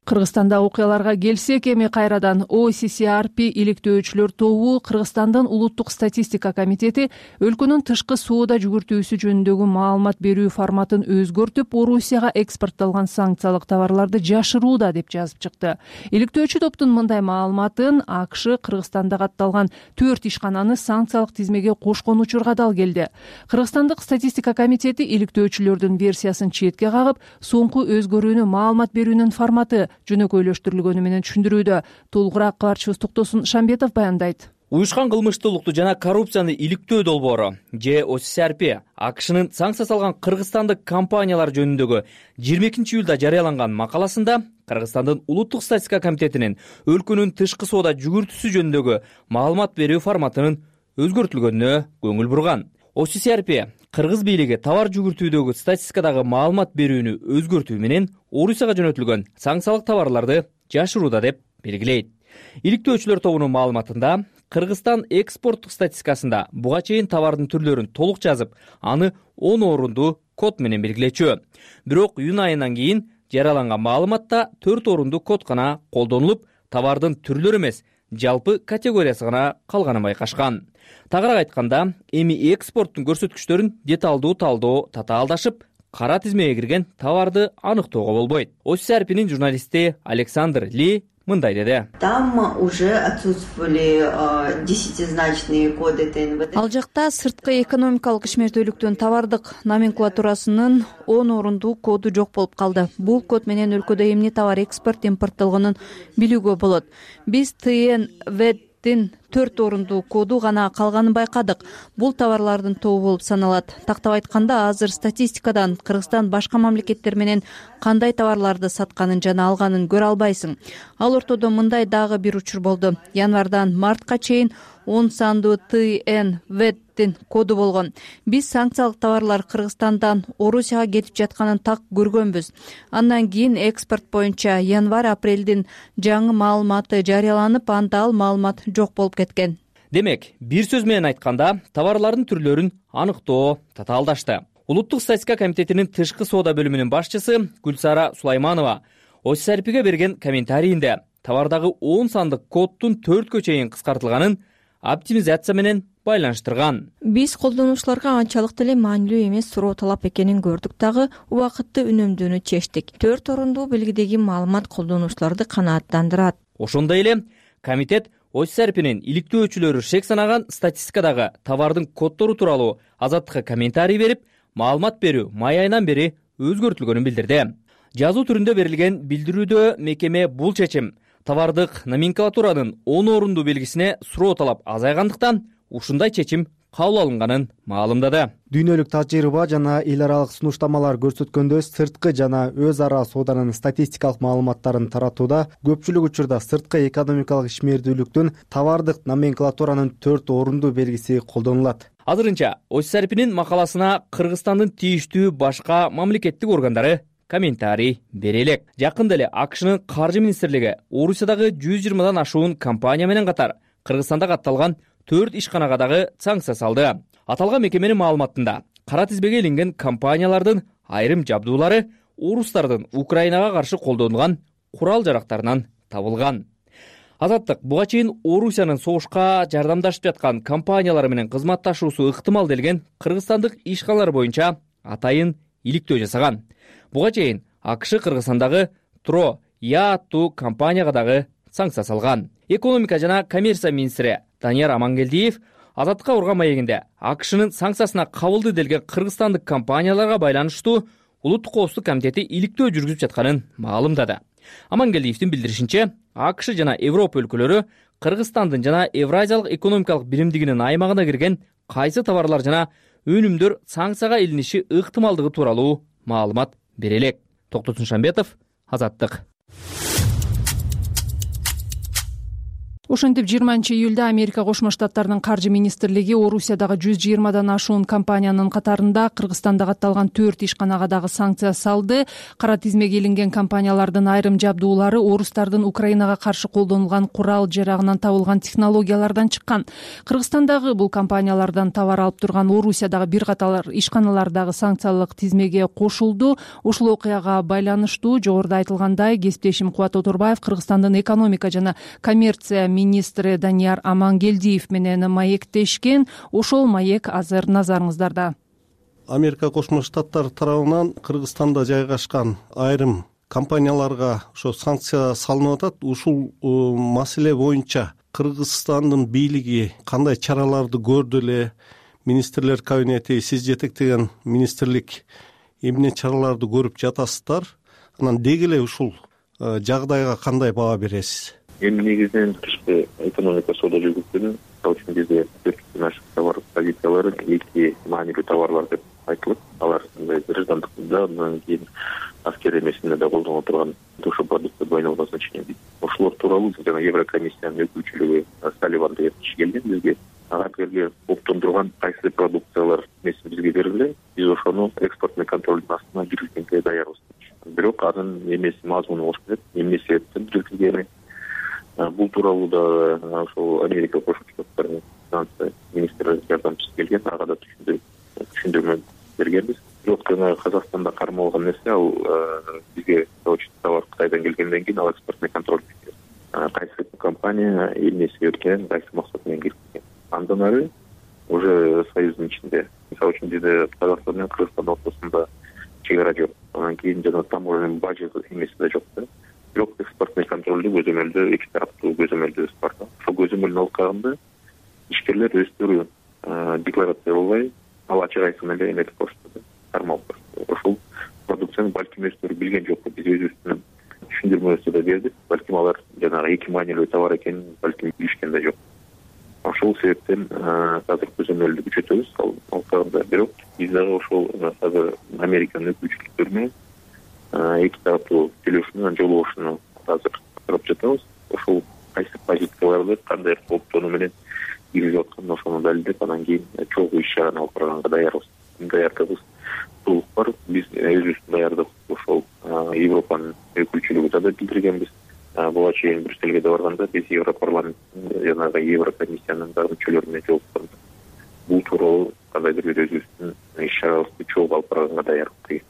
Кыргызстанда окуяларга келсек, эми кайрадан о си си ар пи иликтөөчүлөр тобу Кыргызстандын улуттук статистика комитети өлкөнүн тышкы соода жүгүртүүсү жөнүндөгү маалымат берүү форматын өзгөртүп, Орусияга экспорттолгон санкциялык товарларды жашырууда деп жазып чыкты. Иликтөөчү топтун мындай маалыматын АКШ Кыргызстанда катталган төрт ишкананы санкциялык тизмеге кошкон учурга дал келди. Кыргызстандык статистика комитети иликтөөчүлөрдүн версиясын четке кагып, соңку өзгөрүүнү маалымат берүүнүн форматы жөнөкөйлөштүрүлгөнү менен түшүндүрүүдө. Толугураак кабарчыбыз Токтосун Шамбетов баяндайт. Уюшкан кылмыштуулукту жана коррупцияны иликтөө долбоору же о си си ар пи АКШнын санкция салган кыргызстандык компаниялар жөнүндөгү жыйырма экинчи июлда жарыяланган макаласында Кыргызстандын улуттук статистика комитетинин өлкөнүн тышкы соода жүгүртүүсү жөнүндөгү маалымат берүү форматынын өзгөртүлгөнүнө көңүл бурган. о си си ар пи кыргыз бийлиги товар жүгүртүүдөгү статистикадагы маалымат берүүнү өзгөртүү менен Орусияга жөнөтүлгөн санкциялык товарларды жашырууда деп белгилейт. Иликтөөчүлөр тобунун маалыматында Кыргызстан экспорттук статистикасында буга чейин товардын түрлөрүн толук жазып, аны он орунду код менен белгилечү. Бирок июнь айынан кийин жарыяланган маалыматта төрт орунду код гана колдонулуп, товардын түрлөрү эмес, жалпы категориясы гана калганын байкашкан. Тагыраак айтканда, эми экспорттун көрсөткүчтөрүн деталдуу талдоо татаалдашып, кара тизмеге кирген товарды аныктоого болбойт. о си си ар пинин журналисти Александр Ли мындай деди. Там уже отсутствовали десятизначные коды тэ эн вэ дэ. Ал жакта сырткы экономикалык ишмердүүлүктүн товардык номенклатурасынын он орундуу коду жок болуп калды. Бул код менен өлкөдө эмне товар экспорт импорттолгонун билүүгө болот. Биз тэ эн вэ дин төрт орунду коду гана калганын байкадык. Бул товарлардын тобу болуп саналат. Тактап айтканда, азыр статистикадан Кыргызстан башка мамлекеттер менен кандай товарларды сатканын жана алганын көрө албайсың. Ал ортодо мындай дагы бир учур болду. Январдан мартка чейин он сандуу Т Н Веттин коду болгон. Биз санкциялык товарлар Кыргызстандан Орусияга кетип жатканын так көргөнбүз. Андан кийин экспорт боюнча январь-апрелдин жаңы маалыматы жарыяланып, анда ал маалымат жок болуп кеткен. Демек, бир сөз менен айтканда, товарлардын түрлөрүн аныктоо татаалдашты. Улуттук статистика комитетинин тышкы соода бөлүмүнүн башчысы Гүлсара Сулайманова ОССРПге берген комментарийинде товардагы он сандык коддун төрткө чейин кыскартылганын оптимизация менен байланыштырган. Биз колдонуучуларга анчалык деле маанилүү эмес суроо талап экенин көрдүк дагы убакытты үнөмдүүнү чечтик. Төрт орундуу белгидеги маалымат колдонуучуларды канааттандырат. Ошондой эле комитет ОССРПнин иликтөөчүлөрү шек санаган статистикадагы товардын коддору тууралуу Азаттыкка комментарий берип, маалымат берүү май айынан бери өзгөртүлгөнүн билдирди. Жазуу түрүндө берилген билдирүүдө мекеме бул чечим товардык номенклатуранын он орунду белгисине суроо талап азайгандыктан ушундай чечим кабыл алынганын маалымдады. Дүйнөлүк тажрыйба жана эл аралык сунуштамалар көрсөткөндөй, сырткы жана өз ара сооданын статистикалык маалыматтарын таратууда көпчүлүк учурда сырткы экономикалык ишмердүүлүктүн товардык номенклатуранын төрт орунду белгиси колдонулат. Азырынча ОССРПнин макаласына Кыргызстандын тийиштүү башка мамлекеттик органдары комментарий бере элек. Жакында эле АКШнын каржы министрлиги Орусиядагы жүз жыйырмадан ашуун компания менен катар Кыргызстанда катталган төрт ишканага дагы санкция салды. Аталган мекеменин маалыматында кара тизбеге илинген компаниялардын айрым жабдуулары орустардын Украинага каршы колдонулган курал-жарактарынан табылган. Азаттык буга чейин Орусиянын согушка жардамдашып жаткан компаниялар менен кызматташуусу ыктымал делген кыргызстандык ишканалар боюнча атайын иликтөө жасаган. Буга чейин АКШ Кыргызстандагы Тро Я аттуу компанияга дагы санкция салган. Экономика жана коммерция министри Данияр Амангелдиев Азаттыкка урган маегинде АКШнын санкциясына кабылды делген кыргызстандык компанияларга байланыштуу Улуттук коопсуздук комитети иликтөө жүргүзүп жатканын маалымдады. Амангелдиевдин билдиришинче, АКШ жана Европа өлкөлөрү Кыргызстандын жана Евразиялык экономикалык биримдигинин аймагына кирген кайсы товарлар жана өнүмдөр санкцияга илиниши ыктымалдыгы тууралуу маалымат бере элек. Токтотун Шамбетов, Азаттык. Ошентип жыйырманчы июлда Америка Кошмо Штаттарынын каржы министрлиги Орусиядагы жүз жыйырмадан ашуун компаниянын катарында Кыргызстанда катталган төрт ишканага дагы санкция салды. Кара тизмеге илинген компаниялардын айрым жабдуулары орустардын Украинага каршы колдонулган курал жарагынан табылган технологиялардан чыккан. Кыргызстандагы бул компаниялардан товар алып турган Орусиядагы бир катар ишканалар дагы санкциялык тизмеге кошулду. Ушул окуяга байланыштуу жогоруда айтылгандай, кесиптешим Кубат Оторбаев Кыргызстандын экономика жана коммерция министри Данияр Амангелдиев менен маектешкен. Ошол маек азыр назарыңыздарда. Америка Кошмо Штаттары тарабынан Кыргызстанда жайгашкан айрым компанияларга ошо санкция салынып атат. Ушул маселе боюнча Кыргызстандын бийлиги кандай чараларды көрдү эле? Министрлер кабинети, сиз жетектеген министрлик эмне чараларды көрүп жатасыздар? Анан деги эле ушул жагдайга кандай баа бересиз? Эми негизинен тышкы экономика соода жүргүзгөнү, ал үчүн бизде төрттөн ашык товар позициялары эки маанилүү товарлар деп айтылат. Алар граждандыкта, андан кийин аскер эмесинде да колдонула турган ошо продукция двойного назначения. Ошолор тууралуу жана Еврокомиссиянын өкүлчүлүгү Салливан деген киши келген бизге. Ага бирге оптондурган кайсы продукциялар эмеси бизге берилди. Биз ошону экспортный контролдун астына киргизгенге даярбыз. Бирок анын эмеси мазмуну болуш керек, эмне себептен киргизилгени. Бул тууралуу да ошол Америка Кошмо Штаттарынын финансы министри жардамчысы келген, ага да түшүндүрмө бергенбиз. Бирок жана Казакстанда кармалган нерсе, ал бизге товар Кытайдан келгенден кийин ал экспортный контроль кайсы компания эмне себептен кайсы максат менен киргизген. Андан ары уже союздун ичинде, мисалы үчүн бизде Казакстан менен Кыргызстан ортосунда чек ара жок. Анан кийин жана таможенный бажа эмеси да жок да. Бирок экспортный контролду көзөмөлдөө эки тараптуу көзөмөлдөбүз бар да. Ошол көзөмөлдүн алкагында ишкерлер өздөрү декларация кылбай, ал ачык айткан эле эметип коюшту, кармалып коюшту. Ошол продукцияны балким өздөрү билген жокпу, биз өзүбүздүн түшүндүрмөбүздү да бердик. Балким алар жанагы эки маанилүү товар экенин балким билишкен да жок. ошол себептен азыр көзөмөлдү күчөтөбүз ал алкагында. Бирок биз дагы ошол азыр Американын өкүлчүлүктөрү менен эки тараптуу сүйлөшүүнү жолбошууну азыр карап жатабыз. Ошол кайсы позицияларды кандай кооптонуу менен киргизип атканын ошону далилдеп, анан кийин чогуу иш чараны алып барганга даярбыз. Даярдыгыбыз толук бар. Биз өзүбүздүн даярдык ошол Европанын өкүлчүлүгүнө да билдиргенбиз. Буга чейин Брюссельге да барганда биз Европарламент жанагы Еврокомиссиянын дагы мүчөлөрүнө жолуктук. Бул тууралуу кандайдыр бир өзүбүздүн иш чарабызды чогуу алып барганга даярбыз.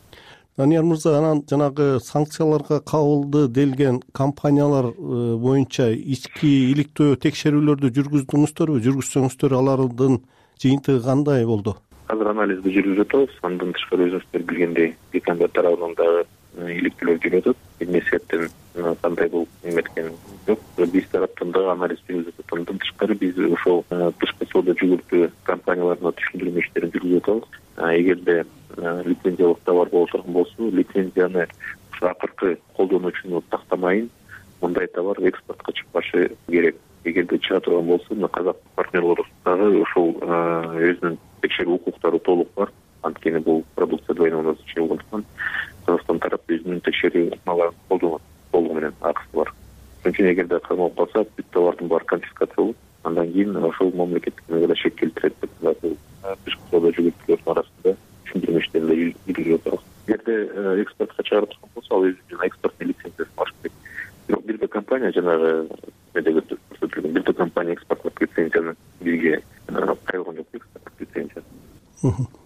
Данияр мырза, анан жанагы санкцияларга кабылды делген компаниялар боюнча ички иликтөө текшерүүлөрдү жүргүздүңүздөрбү? Жүргүзсөңүздөр алардын жыйынтыгы кандай болду? Азыр анализди жүргүзүп атабыз. Андан тышкары өзүңүздөр билгендей, Британия тарабынан дагы иликтөөлөр жүрүп атат. Эмнесиеттен кандай болуп эметкен жок. Биз тараптан дагы анализ жүргүзүп атабыз. Андан тышкары биз ошол тышкы соода жүгүртүү компанияларына түшүндүрмө иштерин жүргүзүп атабыз. Эгерде лицензиялык товар боло турган болсо, лицензияны ушу акыркы колдонуучуну тактамайын, мындай товар экспортко чыкпашы керек. Эгерде чыга турган болсо, мына казак партнерлор дагы ошол өзүнүн текшерүү укуктары толук бар. Анткени бул продукция двойного назначения болгондуктан Казакстан тарапы өзүнүн текшерүү мааларын колдонот толугу менен, акысы бар. Ошон үчүн эгерде калмалып калса, бүт товардын баары конфискация болот. Андан кийин ошол мамлекеттик мыйзамга шек келтирет деп бул тышкы соода жүгүртүүлөрдүн арасында түшүндүрмө иштерин жүргүзүп атабыз. Эгерде экспортко чыгарып турган болсо, ал өзүнүн экспорттун лицензиясын алыш керек. Бирок бир да компания жанагы медеге көрсөтүлгөн бир да компания экспорттук лицензияны бизге кайрылган жок, экспорттук лицензия.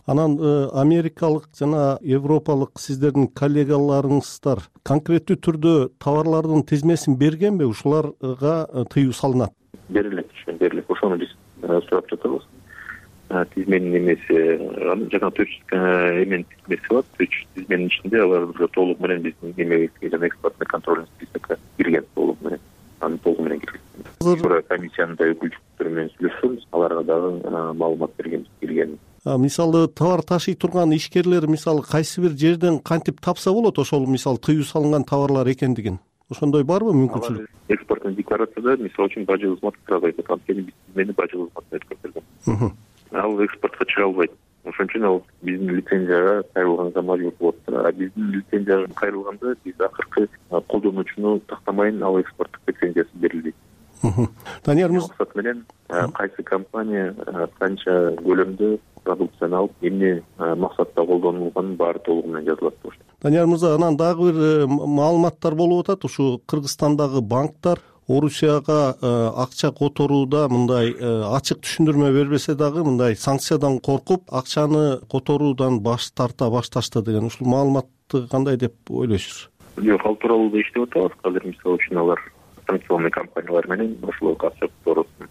Анан америкалык жана европалык сиздердин коллегаларыңыздар конкреттүү түрдө товарлардын тизмесин бергенби? Ушуларга тыюу салынат? Берилет, берилет. Ошону биз сурап жатабыз. Тизменин немеси, жана төрт жүз эменин тизмеси бар. төрт жүз тизменин ичинде алар толук менен биздин немебизге жана экспортный контрольный списокко кирген толук менен. Аны толук менен кирген. Азыр комиссиянын да өкүлчүлүктөрү менен сүйлөшөбүз. Аларга дагы маалымат бергенбиз кирген. Мисалы товар ташый турган ишкерлер мисалы кайсы бир жерден кантип тапса болот ошол мисалы тыюу салынган товарлар экендигин? Ошондой барбы мүмкүнчүлүк? Экспорттун декларацияда мисалы үчүн бажы кызмат сразу айтат. Анткени биз тизмени бажы кызматына өткөргөн. Ал экспортко чыга албайт. Ошон үчүн ал биздин лицензияга кайрылганга мажбур болот. А биздин лицензияга кайрылганда биз акыркы колдонуучуну тактамайын ал экспорттук лицензиясы берилбейт. Данияр мырза, максат менен кайсы компания канча көлөмдө продукцияны алып, эмне максатта колдонулганын баары толугу менен жазылат. Данияр мырза, анан дагы бир маалыматтар болуп атат. Ушу Кыргызстандагы банктар Орусияга акча которууда мындай ачык түшүндүрмө бербесе дагы мындай санкциядан коркуп акчаны которуудан баш тарта башташты деген ушул маалыматты кандай деп ойлойсуз? Жок, ал тууралуу да иштеп атабыз. Азыр мисалы үчүн алар санкционный компаниялар менен ошол акча которуусун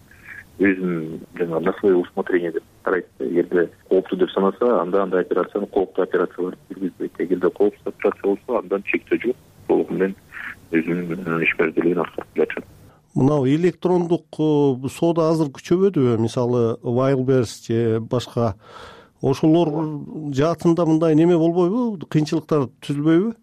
өзүнүн жана на свое усмотрение деп карайт. Эгерде кооптуу деп санаса, анда андай операцияны кооптуу операциялар жүргүзбөйт. Эгерде кооптуу операция болсо, андан чектөө жок. Толугу менен өзүнүн ишмердүүлүгүн аткарып келатат. Мынау электрондук соода азыр күчөбөдүбү? Мисалы Wildberries же башка ошолор жаатында мындай неме болбойбу? Кыйынчылыктар түзүлбөйбү?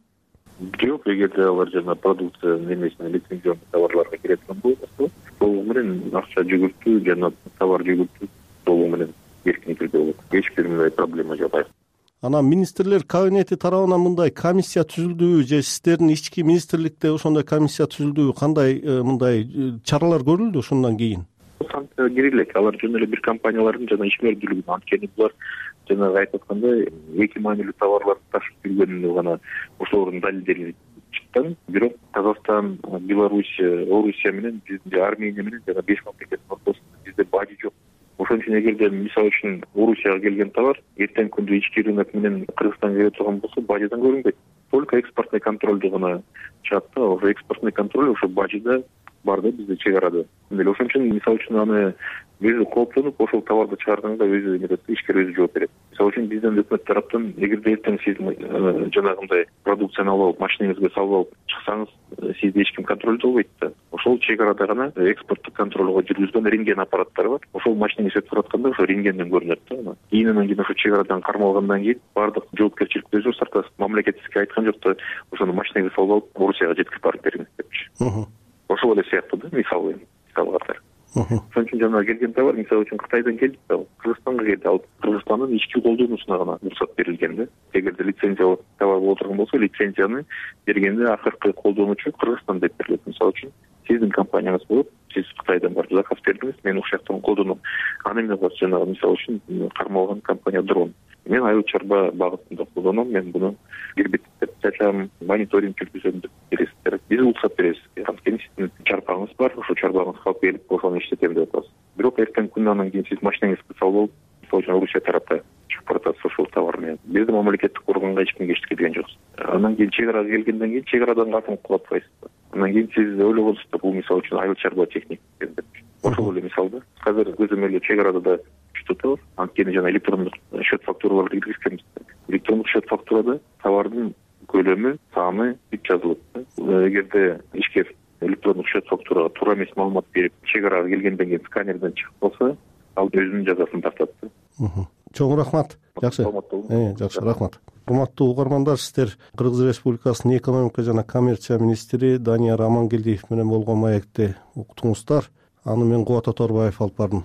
Жок, эгерде алар жана продукция немесине лицензионный товарларга кирет болсо, толугу менен акча жүгүртүү жана товар жүгүртүү толугу менен эркин түрдө болот. Эч бир мындай проблема жок. Анан министрлер кабинети тарабынан мындай комиссия түзүлдүбү же сиздердин ички министрликте ошондой комиссия түзүлдүбү? Кандай мындай чаралар көрүлдү ошондон кийин? Санкция кирилет. Алар жөн эле бир компаниялардын жана ишмердүүлүгүн, анткени булар жанагы айтып аткандай эки маанилүү товарларды ташып жүргөнүнө гана ошолордун далилдери чыккан. Бирок Казакстан, Беларусь, Орусия менен бизде Армения менен жана беш мамлекеттин ортосунда бизде бажы жок. Ошон үчүн эгерде мисалы үчүн Орусияга келген товар эртең күндө ички рынок менен Кыргызстанга келе турган болсо, бажыдан көрүнбөйт. Только экспортный контролду гана чыгат да, ошо экспортный контроль ошо бажыда бар да бизде чек арада. Ошон үчүн мисалы үчүн аны өзү кооптонуп, ошол товарды чыгарганда өзү эмет, ишкер өзү жооп берет. Мисалы үчүн бизден өкмөт тараптан эгерде эртең сиз жанагындай продукцияны алып алып, машинеңизге салып алып чыксаңыз, сизди эч ким контролдой албайт да. Ошол чек арада гана экспорттук контролго жүргүзгөн рентген аппараттары бар. Ошол машинеңиз өтүп баратканда ошо рентгенден көрүнөт да. Кийин анан кийин ошо чек арадан кармалгандан кийин баардык жоопкерчиликти өзүңүз тартасыз. Мамлекет сизге айткан жок да, ошону машинеңизге салып алып Орусияга жеткирип барып бериңиз депчи. Ошол эле сыяктуу да, мисалы мисалы катары. ошон үчүн жанагы келген товар мисалы үчүн Кытайдан келди да, Кыргызстанга келди, ал Кыргызстандын ички колдонуусуна гана уруксат берилген да. Эгерде лицензиялык товар боло турган болсо, лицензияны бергенде акыркы колдонуучу Кыргызстан деп берилет. Мисалы үчүн сиздин компанияңыз болуп, сиз Кытайдан барып заказ бердиңиз, мен ушул жактан колдоном. Аны эмне кылат? Жанагы мисалы үчүн кармалган компания дрон. Мен айыл чарба багытында колдоном, мен буну гербицид чачам, мониторинг жүргүзөм деп бересиздер. Биз уруксат беребиз. Анткени сиздин чарбаңыз бар, ошол чарбаңызга алып келип ошону иштетем деп атасыз. Бирок эртең күн андан кийин сиз машинаңызды салып, мисалы үчүн Орусия тарапта чыгып баратасыз ошол товар менен. Биздин мамлекеттик органга эч кимге эчтеке деген жоксуз. Андан кийин чек арага келгенден кийин чек арадан катынып калып атпайсыз. Андан кийин сиз ойлогонсуз да, бул мисалы үчүн айыл чарба техник деп. Ошол эле мисал да. Азыр көзөмөл эле чек арада да tutulur. Antkeni жана электрондук счет фактураларды киргизгенбиз. Электрондук счет фактурада товардын көлөмү, саны бүт жазылат. Эгерде ишкер электрондук счет фактурага туура эмес маалымат берип, чек арага келгенден кийин сканерден чыгып калса, ал өзүнүн жазасын тартат. Чоң рахмат. Жакшы. Э, жакшы, рахмат. Урматтуу угармандар, сиздер Кыргыз Республикасынын экономика жана коммерция министри Данияр Амангелдиев менен болгон маекти уктуңуздар. Аны мен Кубат Оторбаев алып бардым.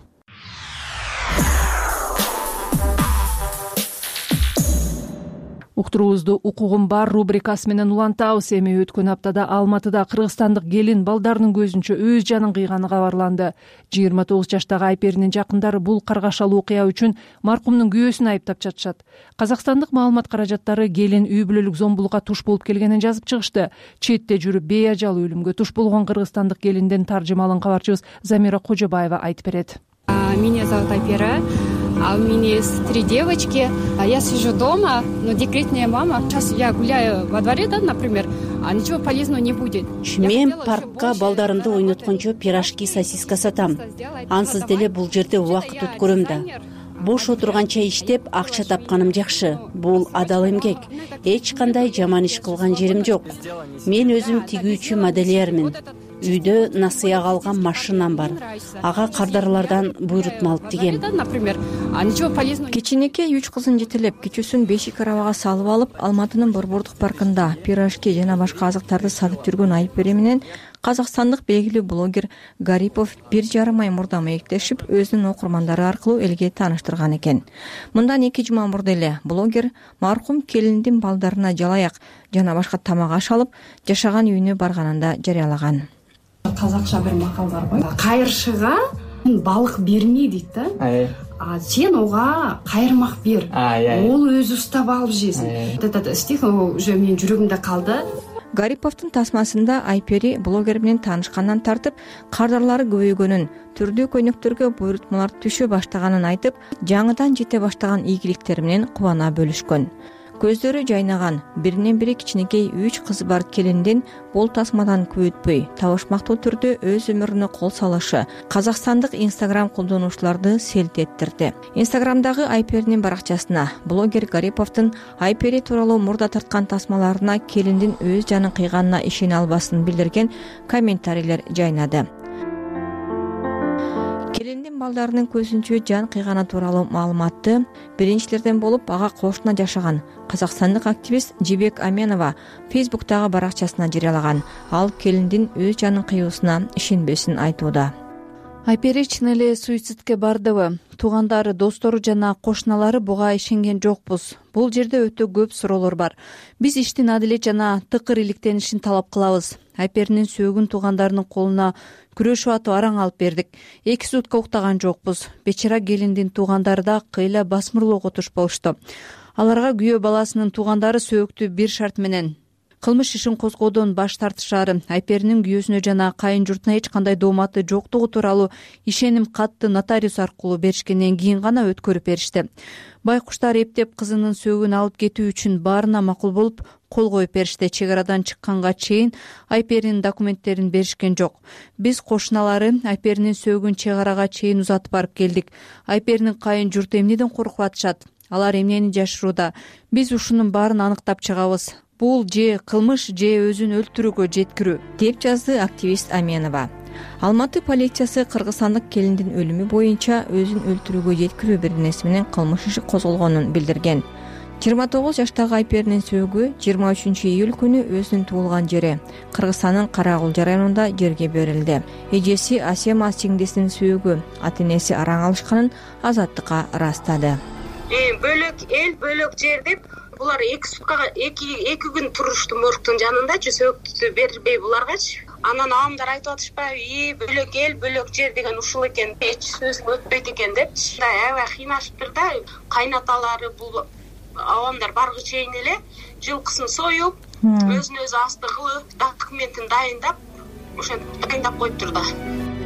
Уктуруубузду укугум бар рубрикасы менен улантабыз. Эми өткөн аптада Алматыда кыргызстандык келин балдарынын көзүнчө өз жанын кыйганы кабарланды. жыйырма тогуз жаштагы Айперинин жакындары бул каргашалуу окуя үчүн маркумдун күйөөсүн айыптап жатышат. Казакстандык маалымат каражаттары келин үй бүлөлүк зомбулукка туш болуп келгенин жазып чыгышты. Четте жүрүп бейажал өлүмгө туш болгон кыргызстандык келиндин таржымалын кабарчыбыз Замира Кожобаева айтып берет. Меня зовут Айпера. А у меня есть три девочки. А я сижу дома, но декретная мама. Сейчас я гуляю во дворе, да, например, а ничего полезного не будет. Мен паркка балдарымды ойноткончо пирожки, сосиска сатам. Ансыз деле бул жерде убакыт өткөрөм да. Бош отурганча иштеп, акча тапканым жакшы. Бул адал эмгек. Эч кандай жаман иш кылган жерим жок. Мен өзүм тигүүчү модельермин. Үйдө насыяга алган машинам бар. Ага кардарлардан буйрутма алып тигем. Кичинекей үч кызын жетелеп, кичүүсүн бешик арабага салып алып, Алматынын Борбордук паркында пирожки жана башка азыктарды сатып жүргөн Айпери менен казакстандык белгилүү блогер Гарипов бир жарым ай мурда маектешип, өзүнүн окурмандары аркылуу элге тааныштырган экен. Мындан эки жума мурда эле блогер маркум келиндин балдарына жалаяк жана башка тамак аш алып, жашаган үйүнө барганында жарыялаган. Казакча бир макал бар го. Кайыршыга балык берме дейт да. А сен ого кайырмак бер. Ол өзү устап алып жесин. Этот стих уже менин жүрөгүмдө калды. Гариповдун тасмасында Айпери блогер менен таанышкандан тартып, кардарлары көбөйгөнүн, түрдүү көйнөктөргө буйрутмалар түшө баштаганын айтып, жаңыдан жете баштаган ийгиликтери менен кубана бөлүшкөн. Көздөрү жайнаган, биринен бири кичинекей үч кызы бар келиндин бул тасмадан көп өтпөй табышмактуу түрдө өз өмүрүнө кол салышы казакстандык Instagram колдонуучуларды селт эттирди. Instagramдагы Айперинин баракчасына блогер Гариповдун Айпери тууралуу мурда тарткан тасмаларына келиндин өз жанын кыйганына ишене албасын билдирген комментарийлер жайнады. Келиндин балдарынын көзүнчө жан кыйганы тууралуу маалыматты биринчилерден болуп ага кошуна жашаган казакстандык активист Жибек Аменова Facebook'тагы баракчасына жарыялаган. Ал келиндин өз жанын кыюусуна ишенбесин айтууда. Айпери чын эле суицидке бардыбы? Туугандары, достору жана кошуналары буга ишенген жокпуз. Бул жерде өтө көп суроолор бар. Биз иштин адилет жана тыкыр иликтенишин талап кылабыз. Айперинин сөөгүн туугандарынын колуна күрөшүп атып араң алып бердик. Эки сутка уктаган жокпуз. Бечара келиндин туугандары да кыйла басмырлоого туш болушту. Аларга күйөө баласынын туугандары сөөктү бир шарт менен кылмыш ишин козгоодон баш тартышаары, Айперинин күйөөсүнө жана кайын журтуна эч кандай дооматы жоктугу тууралуу ишеним катты нотариус аркылуу беришкенден кийин гана өткөрүп беришти. Байкуштар эптеп кызынын сөөгүн алып кетүү үчүн баарына макул болуп кол коюп беришти. Чек арадан чыкканга чейин Айперинин документтерин беришкен жок. Биз кошуналары Айперинин сөөгүн чек арага чейин узатып барып келдик. Айперинин кайын журту эмнеден коркуп атышат? Алар эмнени жашырууда? Биз ушунун баарын аныктап чыгабыз. Бул же кылмыш, же өзүн өлтүрүүгө жеткирүү, деп жазды активист Аменова. Алматы полициясы кыргызстандык келиндин өлүмү боюнча өзүн өлтүрүүгө жеткирүү бирнеси менен кылмыш иши козголгонун билдирген. жыйырма тогуз жаштагы Айперинин сөөгү жыйырма үчүнчү июль күнү өзүнүн туулган жери Кыргызстандын Каракулжа районунда жерге берилди. Эжеси Асема сиңдисинин сөөгү ата энеси араң алышканын Азаттыкка ырастады. Бөлөк эл, бөлөк жер деп булар эки суткага эки эки күн турушту моргтун жанындачы, сөөгү бербей буларгачы. Анан абамдар айтып атышпайбы, и бөлөк эл, бөлөк жер деген ушул экен, эч сөз өтпөйт экен деп. Аябай кыйнашыптыр да. Кайнаталары бул абамдар баргы чейин эле жылкысын союп, өзүн өзү асты кылып, документин дайындап, ошентип дайындап коюптур да.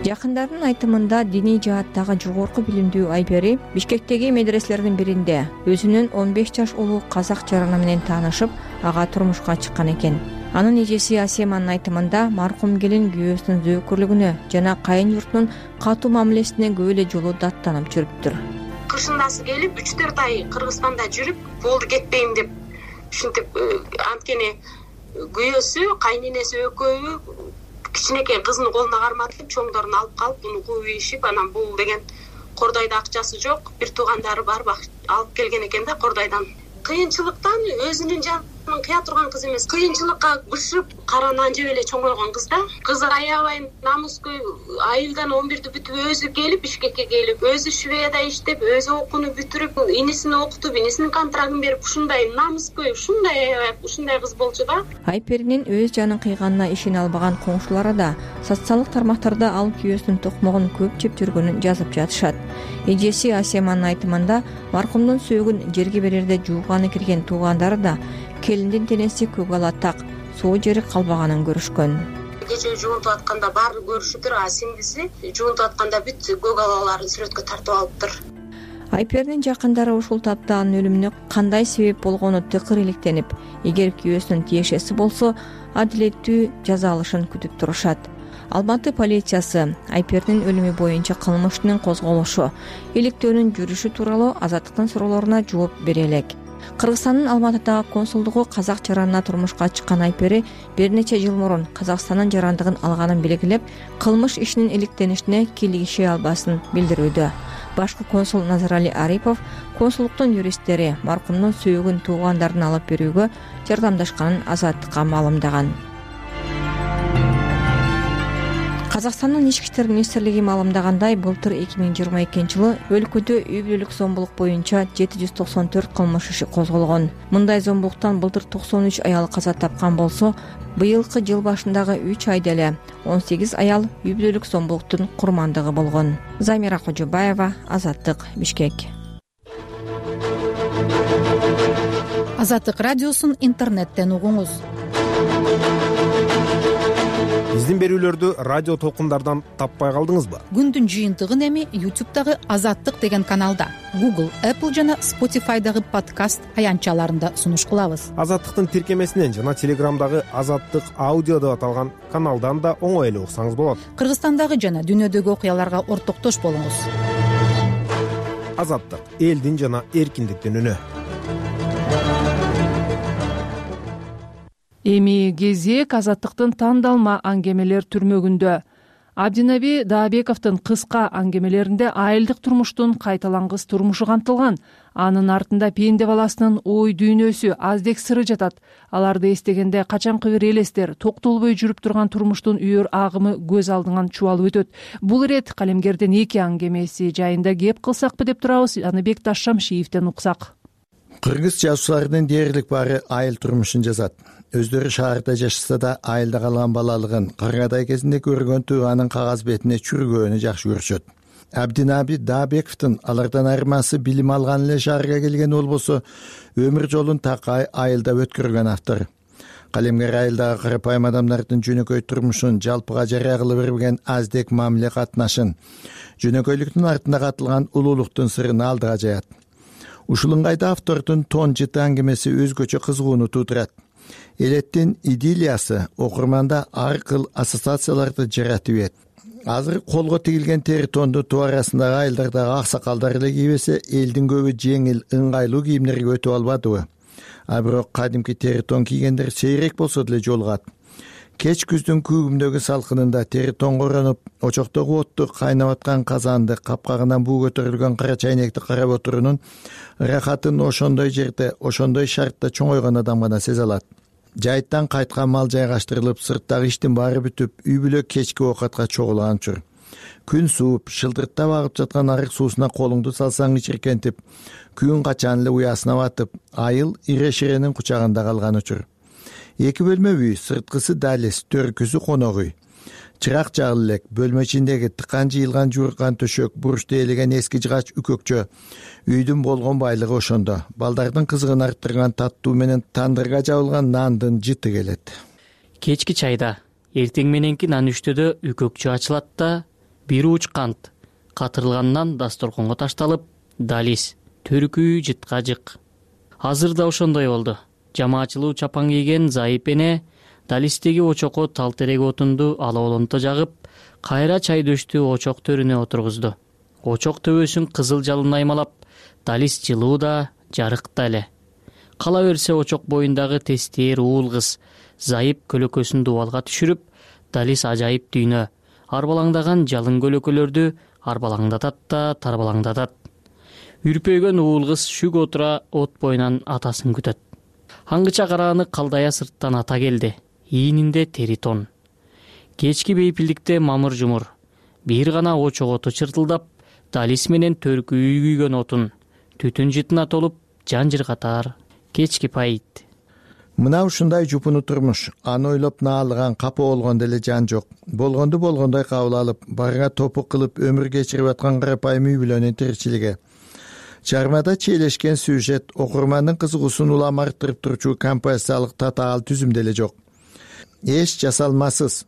Жакындардын айтымында диний жааттагы жогорку билимдүү Айпери Бишкектеги медреселердин биринде өзүнүн он беш жаш улуу казак жараны менен таанышып, ага турмушка чыккан экен. Анын эжеси Асеманын айтымында маркум келин күйөөсүнүн зөөкүрлүгүнө жана кайын журтунун катуу мамилесине көп эле жолу даттанып жүрүптүр. Кышындасы келип үч төрт ай Кыргызстанда жүрүп, болду кетпейм деп ушинтип, анткени күйөөсү, кайненеси экөөбү кичинекей кызын колуна карматып, чоңдорун алып калып, буну кууп ийишип, анан бул деген Кордойдо акчасы жок, бир туугандары бар, алып келген экен да Кордойдон. Кыйынчылыктан өзүнүн жанын кыя турган кыз эмес, кыйынчылыкка бышып, кара нан жеп эле чоңойгон кыз да. Кызы аябай намыскөй, айылдан он бирди бүтүп өзү келип, Бишкекке келип, өзү Шведада иштеп, өзү окууну бүтүрүп, инисин окутуп, инисинин контрагын берип, ушундай намыскөй, ушундай аябай, ушундай кыз болчу да. Айперинин өз жанын кыйганына ишене албаган коңшулары да социалдык тармактарда ал күйөөсүнүн токмогун көп жеп жүргөнүн жазып жатышат. Эжеси Асеманын айтымында маркумдун сөөгүн жерге берерде жууганы кирген туугандары да келиндин денеси көк ала так, суу жери калбаганын көрүшкөн. Кече жуунтуп атканда баары көрүшүптүр, а сиңдиси жуунтуп атканда бүт көк алаларын сүрөткө тартып алыптыр. Айперинин жакындары ушул тапта анын өлүмүнө кандай себеп болгону тыкыр иликтенип, эгер күйөөсүнүн тиешеси болсо, адилеттүү жаза алышын күтүп турушат. Алматы полициясы Айперинин өлүмү боюнча кылмыштын козголушу, иликтөөнүн жүрүшү тууралуу Азаттыктын суроолоруна жооп бере элек. Кыргызстандын Алматыдагы консулдугу казак жаранына турмушка чыккан Айпери бир нече жыл мурун Казакстандын жарандыгын алганын белгилеп, кылмыш ишинин иликтенишине кийлигише албасын билдирүүдө. Башкы консул Назарали Арипов консулдуктун юристтери маркумдун сөөгүн туугандарына алып берүүгө жардамдашканын Азаттыкка маалымдаган. Казакстандын ички иштер министрлиги маалымдагандай, былтыр эки миң жыйырма экинчи жылы өлкөдө үй бүлөлүк зомбулук боюнча жети жүз токсон төрт кылмыш иши козголгон. Мындай зомбулуктан былтыр токсон үч аял каза тапкан болсо, быйылкы жыл башындагы үч айда эле он сегиз аял үй бүлөлүк зомбулуктун курмандыгы болгон. Замира Кожобаева, Азаттык, Бишкек. Азаттык радиосун интернеттен угуңуз. Биздин берүүлөрдү радио толкундардан таппай калдыңызбы? Күндүн жыйынтыгын эми YouTube'дагы Азаттык деген каналда, Google, Apple жана Spotify'дагы подкаст аянтчаларында сунуш кылабыз. Азаттыктын тиркемесинен жана Телеграмдагы Азаттык аудио деп аталган каналдан да оңой эле уксаңыз болот. Кыргызстандагы жана дүйнөдөгү окуяларга ортоктош болуңуз. Азаттык — элдин жана эркиндиктин үнү. Эми кезек Азаттыктын тандалма аңгемелер түрмөгүндө. Абдинаби Даабековдун кыска аңгемелеринде айылдык турмуштун кайталангыс турмушу камтылган. Анын артында пенде баласынын ой дүйнөсү, аздек сыры жатат. Аларды эстегенде качанкы бир элестер, токтолбой жүрүп турган турмуштун үйөр агымы көз алдыңан чубалып өтөт. Бул ирет калемгердин эки аңгемеси жайында кеп кылсакпы деп турабыз. Аныбек Ташшамшиевден уксак. Кыргыз жазуучуларынын дээрлик баары айыл турмушун жазат. Өздөрү шаарда жашаса да айылда калган балалыгын, кыргыдай кезинде көргөн тууганын кагаз бетине чүргөөнү жакшы көрүшөт. Абдинаби Даабековдун алардан айырмасы билим алган эле шаарга келген болбосо, өмүр жолун такай айылда өткөргөн автор. Калемгер айылдагы карапайым адамдардын жөнөкөй турмушун жалпыга жарыя кылып берген аздек мамиле катнашын, жөнөкөйлүктүн артында катылган улуулуктун сырын алдыга жаят. Ушул ыңгайда автордун тон жыты аңгемеси өзгөчө кызыгууну туудурат. Элеттин идиллиясы окурманда ар кыл ассоциацияларды жаратып ийет. Азыр колго тигилген тери тонду туу арасындагы айылдардагы аксакалдар эле кийбесе, элдин көбү жеңил, ыңгайлуу кийимдерге өтүп албадыбы? А бирок кадимки тери тон кийгендер сейрек болсо деле жолугат. Кеч күздүн күүгүмдөгү салкынында тери тоңгоронуп, очоктогу отту кайнап аткан казанды, капкагынан буу көтөрүлгөн кара чайнекти карап отуруунун рахатын ошондой жерде, ошондой шартта чоңойгон адам гана сезе алат. Жайыттан кайткан мал жайгаштырылып, сырттагы иштин баары бүтүп, үй бүлө кечки оокатка чогулаган учур. Күн сууп, шылдырттап агып жаткан арык суусуна колуңду салсаң ичиркентип, күн качан эле уясына батып, айыл ире-ширенин кучагында калган учур. Эки бөлмө үй, сырткысы далис, төркүсү конок үй. Чырак жагыла элек, бөлмө ичиндеги тыкан жыйылган жууркан төшөк, буручта ээлеген эски жыгач үкөкчө. Үйдүн болгон байлыгы ошондо. Балдардын кызыгын арттырган таттуу менен тандырга жабылган нандын жыты келет. Кечки чайда, эртең мененки нан үчтөдө үкөкчө ачылат да, бир уч кант катырылган нан дасторконго ташталып, далис, төркүү жытка жык. Азыр да ошондой болду. Жамаачылуу чапан кийген Зайып эне далистеги очокко тал терек отунду алоолонто жагып, кайра чай дөштү очок төрүнө отургузду. Очок төбөсүн кызыл жалын аймалап, далис жылуу да, жарык да эле. Кала берсе очок боюндагы тестер уул кыз Зайып көлөкөсүн дубалга түшүрүп, далис ажайып дүйнө, арбалаңдаган жалын көлөкөлөрдү арбалаңдатат да тарбалаңдатат. Үрпөйгөн уул кыз шүк отура от боюнан атасын күтөт. Аңгыча карааны калдая сырттан ата келди. Ийининде тери тон. Кечки бейпилдикте мамыр жумур. Бир гана очок оту чыртылдап, далис менен төркүү күйгөн отун түтүн жытына толуп, жан жыргатар кечки пайыт. Мына ушундай жупуну турмуш. Аны ойлоп наалыган, капа болгондо эле жан жок. Болгонду болгондой кабыл алып, барга топук кылып өмүр кечирип аткан карапайым үй бүлөнүн тиричилиги. Чармада чийлешкен сюжет, окурмандын кызыгуусун улам арттырып турчу композициялык татаал түзүмдө эле жок. Эч жасалмасыз,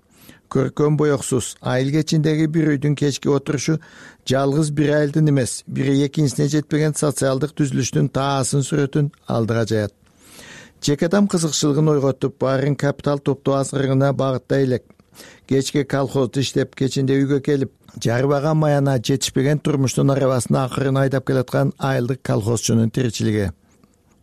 көркөм боёксуз, айыл кечиндеги бир үйдүн кечки отурушу жалгыз бир айылдын эмес, бири экинчисине жетпеген социалдык түзүлүштүн таасын сүрөтүн алдыга жаят. Жеке адам кызыкчылыгын ойготуп, баарын капитал топтоо азгырыгына багыттай элек. Кечке колхозду иштеп, кечинде үйгө келип, жарбаган маяна жетишпеген турмуштун арабасына акырын айдап келаткан айылдык колхозчунун тиричилиги.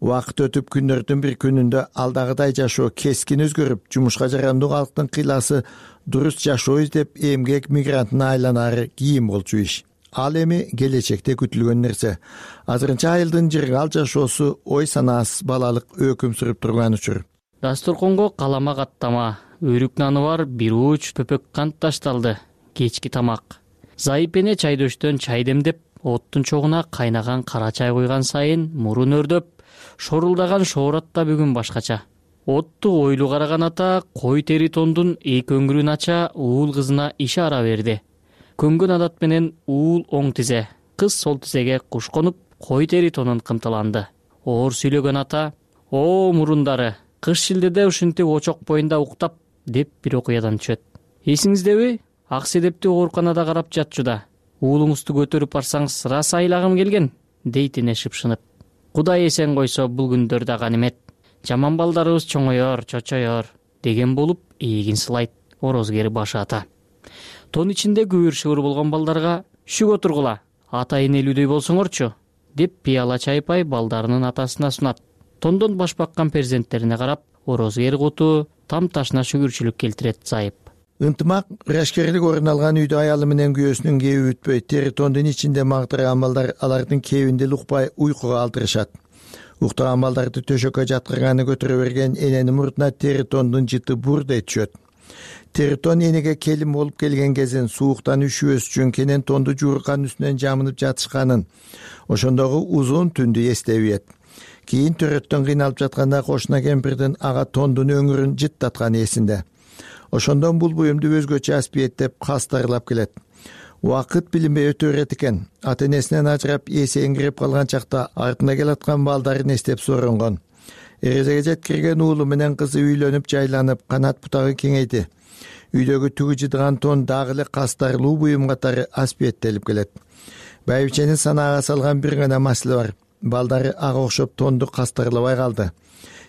Убакыт өтүп, күндөрдүн бир күнүндө алдагыдай жашоо кескин өзгөрүп, жумушка жарандуу калктын кыйласы дурус жашоо издеп эмгек мигрантына айланары кийин болчу иш. Ал эми келечекте күтүлгөн нерсе. Азырынча айылдын жыргал жашоосу ой санаасыз балалык өкүм сүрүп турган учур. Дасторконго калама каттама, өрүк наны бар бир уч пөпөк кант ташталды. Кечки тамак. Зайып эне чайдөштөн чай демдеп, оттун чогуна кайнаган кара чай куйган сайын мурун өрдөп, шорулдаган шоорат да бүгүн башкача. Отту ойлуу караган ата кой тери тондун эки өңгүрүн ача уул кызына ишара берди. Көнгөн адат менен уул оң тизе, кыз сол тизеге куш конуп, кой тери тонун кымталанды. Оор сүйлөгөн ата: "О, мурундары, кыш шилдеде ушинтип очок боюнда уктап" деп бир окуядан түшөт. Эсиңиздеби? Ак седепти ооруканада карап жатчу да. Уулуңузду көтөрүп барсаңыз сыра сайлагым келген, дейт эне шыпшынып. Кудай эсен койсо бул күндөрдө ганимет. Жаман балдарыбыз чоңоёр, чочоёр деген болуп эгин сылайт орозкери башы ата. Тон ичинде күбүр-шыбыр болгон балдарга: "Шүк отургула, ата энелүүдөй болсоңорчу" деп пияла чайпай балдарынын атасына сунат. Тондон баш баккан перзенттерине карап, орозкери куту там ташына шүгүрчүлүк келтирет Зайып. Ынтымак, ырашкерлик орун алган үйдө аялы менен күйөөсүнүн кеби бүтпөй, тери тондун ичинде мактырган балдар алардын кебинде укпай уйкуга алдырышат. Уктаган балдарды төшөккө жаткырганы көтөрө берген эненин мурдуна тери тондун жыты бурдей түшөт. Тери тон энеге келин болуп келген кезин, сууктан үшүбөс үчүн кенен тонду жууркан үстүнөн жамынып жатышканын, ошондогу узун түндү эстеп ийет. Кийин төрөттөн кыйналып жатканда кошуна кемпирдин ага тондун өңүрүн жыттатканы эсинде. Ошондон бул буюмду өзгөчө аспиеттеп кастарлап келет. Убакыт билинбей өтө берет экен. Ата энесинен ажырап эсеңгирип калган чакта артына келаткан балдарын эстеп соронгон. Эрезеге жеткирген уулу менен кызы үйлөнүп жайланып, канат бутагы кеңейди. Үйдөгү түгү жыдыган тон дагы эле кастарлуу буюм катары аспиеттелип келет. Байбиченин санаага салган бир гана маселе бар. Балдары ага окшоп тонду кастарлабай калды.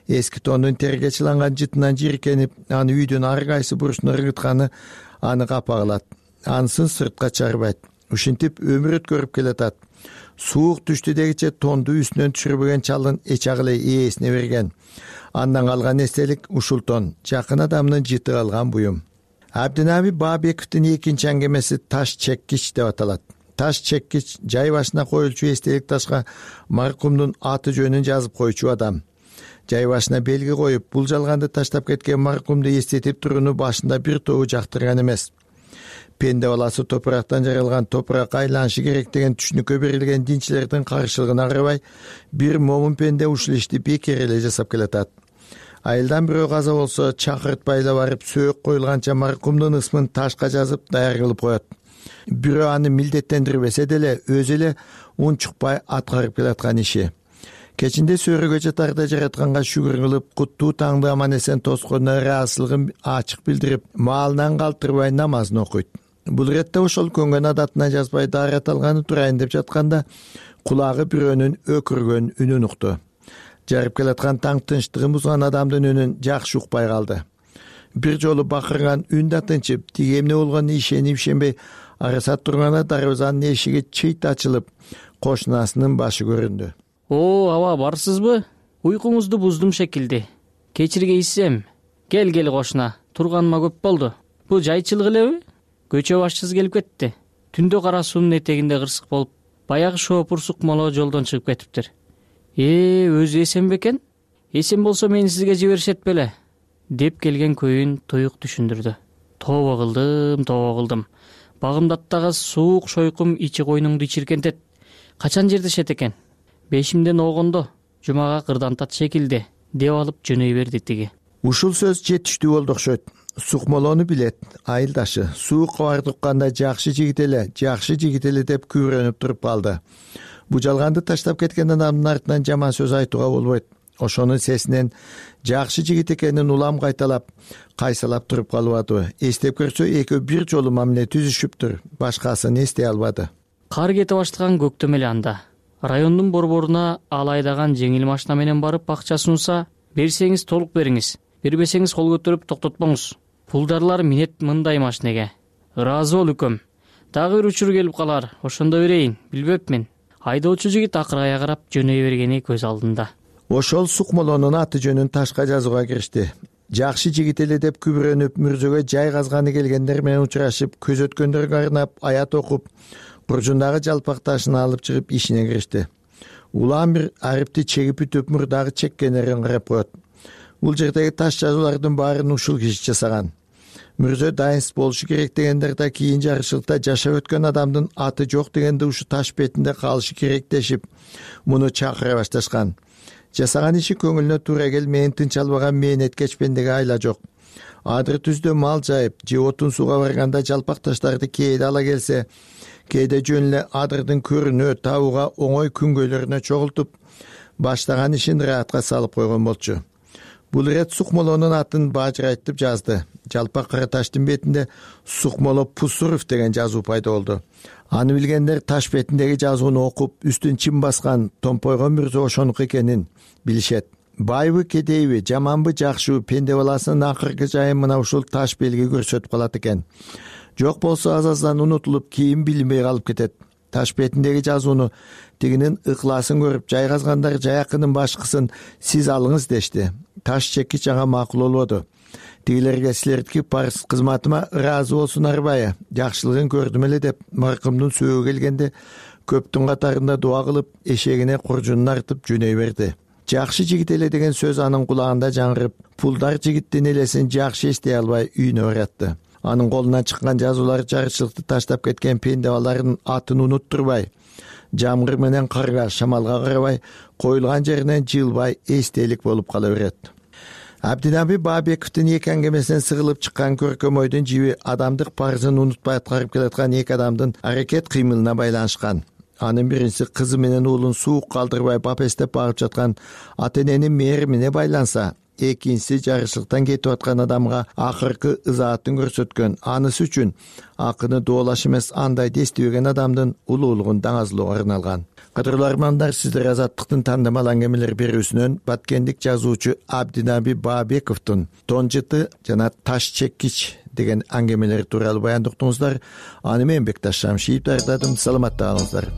Эски тондун терге чыланган жытынан жийиркенип, аны үйдүн ар кайсы бурчуна ыргытканы аны капа кылат. Анысын сыртка чыгарбайт. ушинтип өмүр өткөрүп келатат. Суук түштү дегиче тонду үстүнөн түшүрбөгөн чалдын эч агыле ээсине берген. Андан калган эстелик ушул тон, жакын адамдын жыты алган буюм. Абдинаби Баабековдун экинчи аңгемеси таш чеккич деп аталат. Таш чеккич жай башына коюлчу эстелик ташка маркумдун аты жөнүн жазып койчу адам. Жай башына белги коюп, бул жалганды таштап кеткен маркумду эстетип турууну башында бир тобу жактырган эмес. Пенде баласы топурактан жаралган, топуракка айланышы керек деген түшүнүккө берилген динчилердин каршылыгына карабай, бир момун пенде ушул ишти бекер эле жасап келатат. Айылдан бирөө каза болсо, чакыртпай эле барып, сөөк коюлганча маркумдун ысмын ташка жазып даяр кылып коет. Бирөө аны милдеттендирбесе деле, өзү эле унчукпай аткарып келаткан иши. Кечинде сөрөгө жатарда жаратканга шүгүр кылып, куттуу таңды аман эсен тосконуна ыраазычылыгын ачык билдирип, маалынан калтырбай намазын окуйт. Бул иретте ошол көнгөн адатына жазбай даарат алганы турайын деп жатканда, кулагы бирөөнүн өкүргөн үнүн укту. Жарып келаткан таң тынчтыгын бузган адамдын үнүн жакшы укпай калды. Бир жолу бакырган үн да тынчып, тиги эмне болгонуна ишенип ишенбей арасат турганда дарбазанын эшиги чыйт ачылып, кошунасынын башы көрүндү. О, аба, барсызбы? Уйкуңузду буздум шекилди. Кечиргейсизем. Кел, кел кошуна. Турганыма көп болду. Бул жайчылык элеби? Көчө башчысы келип кетти. Түндө кара суунун этегинде кырсык болуп, баягы шоопур сукмоло жолдон чыгып кетиптир. Э, өзү эсен бекен? Эсен болсо мени сизге жиберишет беле? Деп келген көйүн туюк түшүндүрдү. Тобо кылдым, тобо кылдым. Багымдаттагы суук шойкум ичи койнуңду ичиркентет. Качан жердешет экен? Бешимден огондо, жумага кырдантат шекилди, деп алып жөнөй берди тиги. Ушул сөз жетиштүү болду окшойт. Сукмолону билет, айылдашы. Суукка барды укканда жакшы жигит эле, жакшы жигит эле деп күбөрөнүп туруп калды. Бу жалганды таштап кеткен адамдын артынан жаман сөз айтууга болбойт. Ошонун сесинен жакшы жигит экенин улам кайталап, кайсалап туруп калбады. Эстеп көрсө, экөө бир жолу мамиле түзүшүптүр, башкасын эстей албады. Кар кете баштаган көктөм эле анда. Райондун борборуна ал айдаган жеңил машина менен барып акча сунса, берсеңиз толук бериңиз, бербесеңиз кол көтөрүп токтотпоңуз. Пулдарлар минет мындай машинеге. Ыраазы бол үкөм. Дагы бир учур келип калар, ошондо берейин, билбепмин. Айдоочу жигит акырая карап жөнөй бергени көз алдында. Ошол сукмолонун аты жөнүн ташка жазууга киришти. Жакшы жигит эле деп күбөрөнүп, мүрзөгө жай казганы келгендер менен учурашып, көз өткөндөргө арнап аят окуп, буржундагы жалпак ташын алып чыгып ишине киришти. Улам бир арипти чегип бүтүп, мурдагы чеккенерин карап коет. Бул жердеги таш жазуулардын баарын ушул киши жасаган. Мүрзө дайынсыз болушу керек дегендер да кийин жарышыкта жашап өткөн адамдын аты жок дегенде ушу таш бетинде калышы керек дешип, муну чакыра башташкан. Жасаган иши көңүлүнө туура келмейин, тынч албаган мээнеткеч пендеге айла жок. Адыр түздө мал жайып, же отун сууга барганда жалпак таштарды кээде ала келсе, кээде жөн эле адырдын көрүнө, табууга оңой күнгөйлөрүнө чогултуп, баштаган ишин ыраатка салып койгон болчу. Бул ирет Сукмолонун атын бажырайтып жазды. Жалпак кара таштын бетинде Сукмоло Пусуров деген жазуу пайда болду. Аны билгендер таш бетиндеги жазууну окуп, үстүн чим баскан томпойгон мүрзө ошонуку экенин билишет. Байбы кедейби, жаманбы жакшыбы, пенде баласынын акыркы жайын мына ушул таш белги көрсөтүп калат экен. Жок болсо аз-аздан унутулуп, кийин билинбей калып кетет. Таш бетиндеги жазууну тигинин ыклаасын көрүп, жай казгандар жайакынын башкысын сиз алыңыз дешти. Таш чеккич ага макул болбоду. Тигилерге силердики парыз кызматыма ыраазы болсун арбайы, жакшылыгын көрдүм эле деп маркумдун сөөгү келгенде көптүн катарында дуа кылып, эшегине куржунун артып жөнөй берди. Жакшы жигит эле деген сөз анын кулагында жаңырып, пулдар жигиттин элесин жакшы эстей албай үйүнө баратты. Анын колунан чыккан жазуулар жарычылыкты таштап кеткен пенде балалардын атын унуттурбай, жамгыр менен карга, шамалга карабай, коюлган жеринен жылбай эстелик болуп кала берет. Абдинаби Баабековдун эки аңгемесинен сыгылып чыккан көркөм ойдун жиби адамдык парызын унутпай аткарып келаткан эки адамдын аракет кыймылына байланышкан. Анын биринчиси кызы менен уулун суук калтырбай бап эстеп багып жаткан ата эненин мээримине байланса, экинчиси жарышлыктан кетип аткан адамга акыркы ызаатын көрсөткөн, анысы үчүн акыны доолаш эмес андайды эстебеген адамдын улуулугун даңазлоого арналган. Кадырлуу армандар, сиздер Азаттыктын тандамал аңгемелер берүүсүнөн баткендик жазуучу Абдинаби Баабековдун тон жыты жана таш чеккич деген аңгемелер тууралуу баяндоктуңуздар. Аны мен Бекташ Шамшиев даярдадым. Саламатта калыңыздар.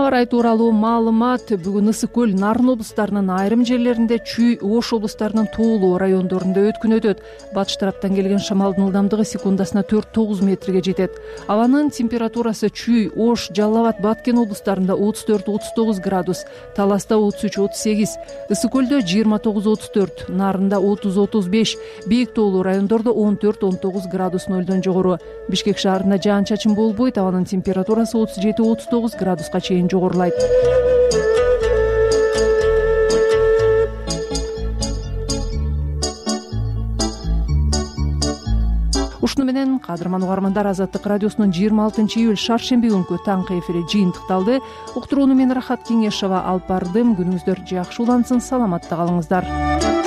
Аба ырайы тууралуу маалымат. Бүгүн Ысык көл, Нарын облустарынын айрым жерлеринде, Чүй, Ош облустарынын тоолуу райондорунда өткүн өтөт. Батыш тараптан келген шамалдын ылдамдыгы секундасына төрт тогуз метрге жетет. Абанын температурасы Чүй, Ош, Жалал Абад, Баткен облустарында отуз төрт отуз тогуз градус, Таласта отуз үч отуз сегиз, Ысык көлдө жыйырма тогуз отуз төрт, Нарында отуз отуз беш, бийик тоолуу райондордо он төрт он тогуз градус нөлдөн жогору. Бишкек шаарында жаан чачын болбойт, абанын температурасы отуз жети отуз тогуз градуска чейин жогорулайт. Ушуну менен кадырман угармандар, Азаттык радиосунун жыйырма алтынчы июль шаршемби күнкү таңкы эфири жыйынтыкталды. Уктурууну мен Рахат Кеңешова алып бардым. Күнүңүздөр жакшы улансын, саламатта калыңыздар.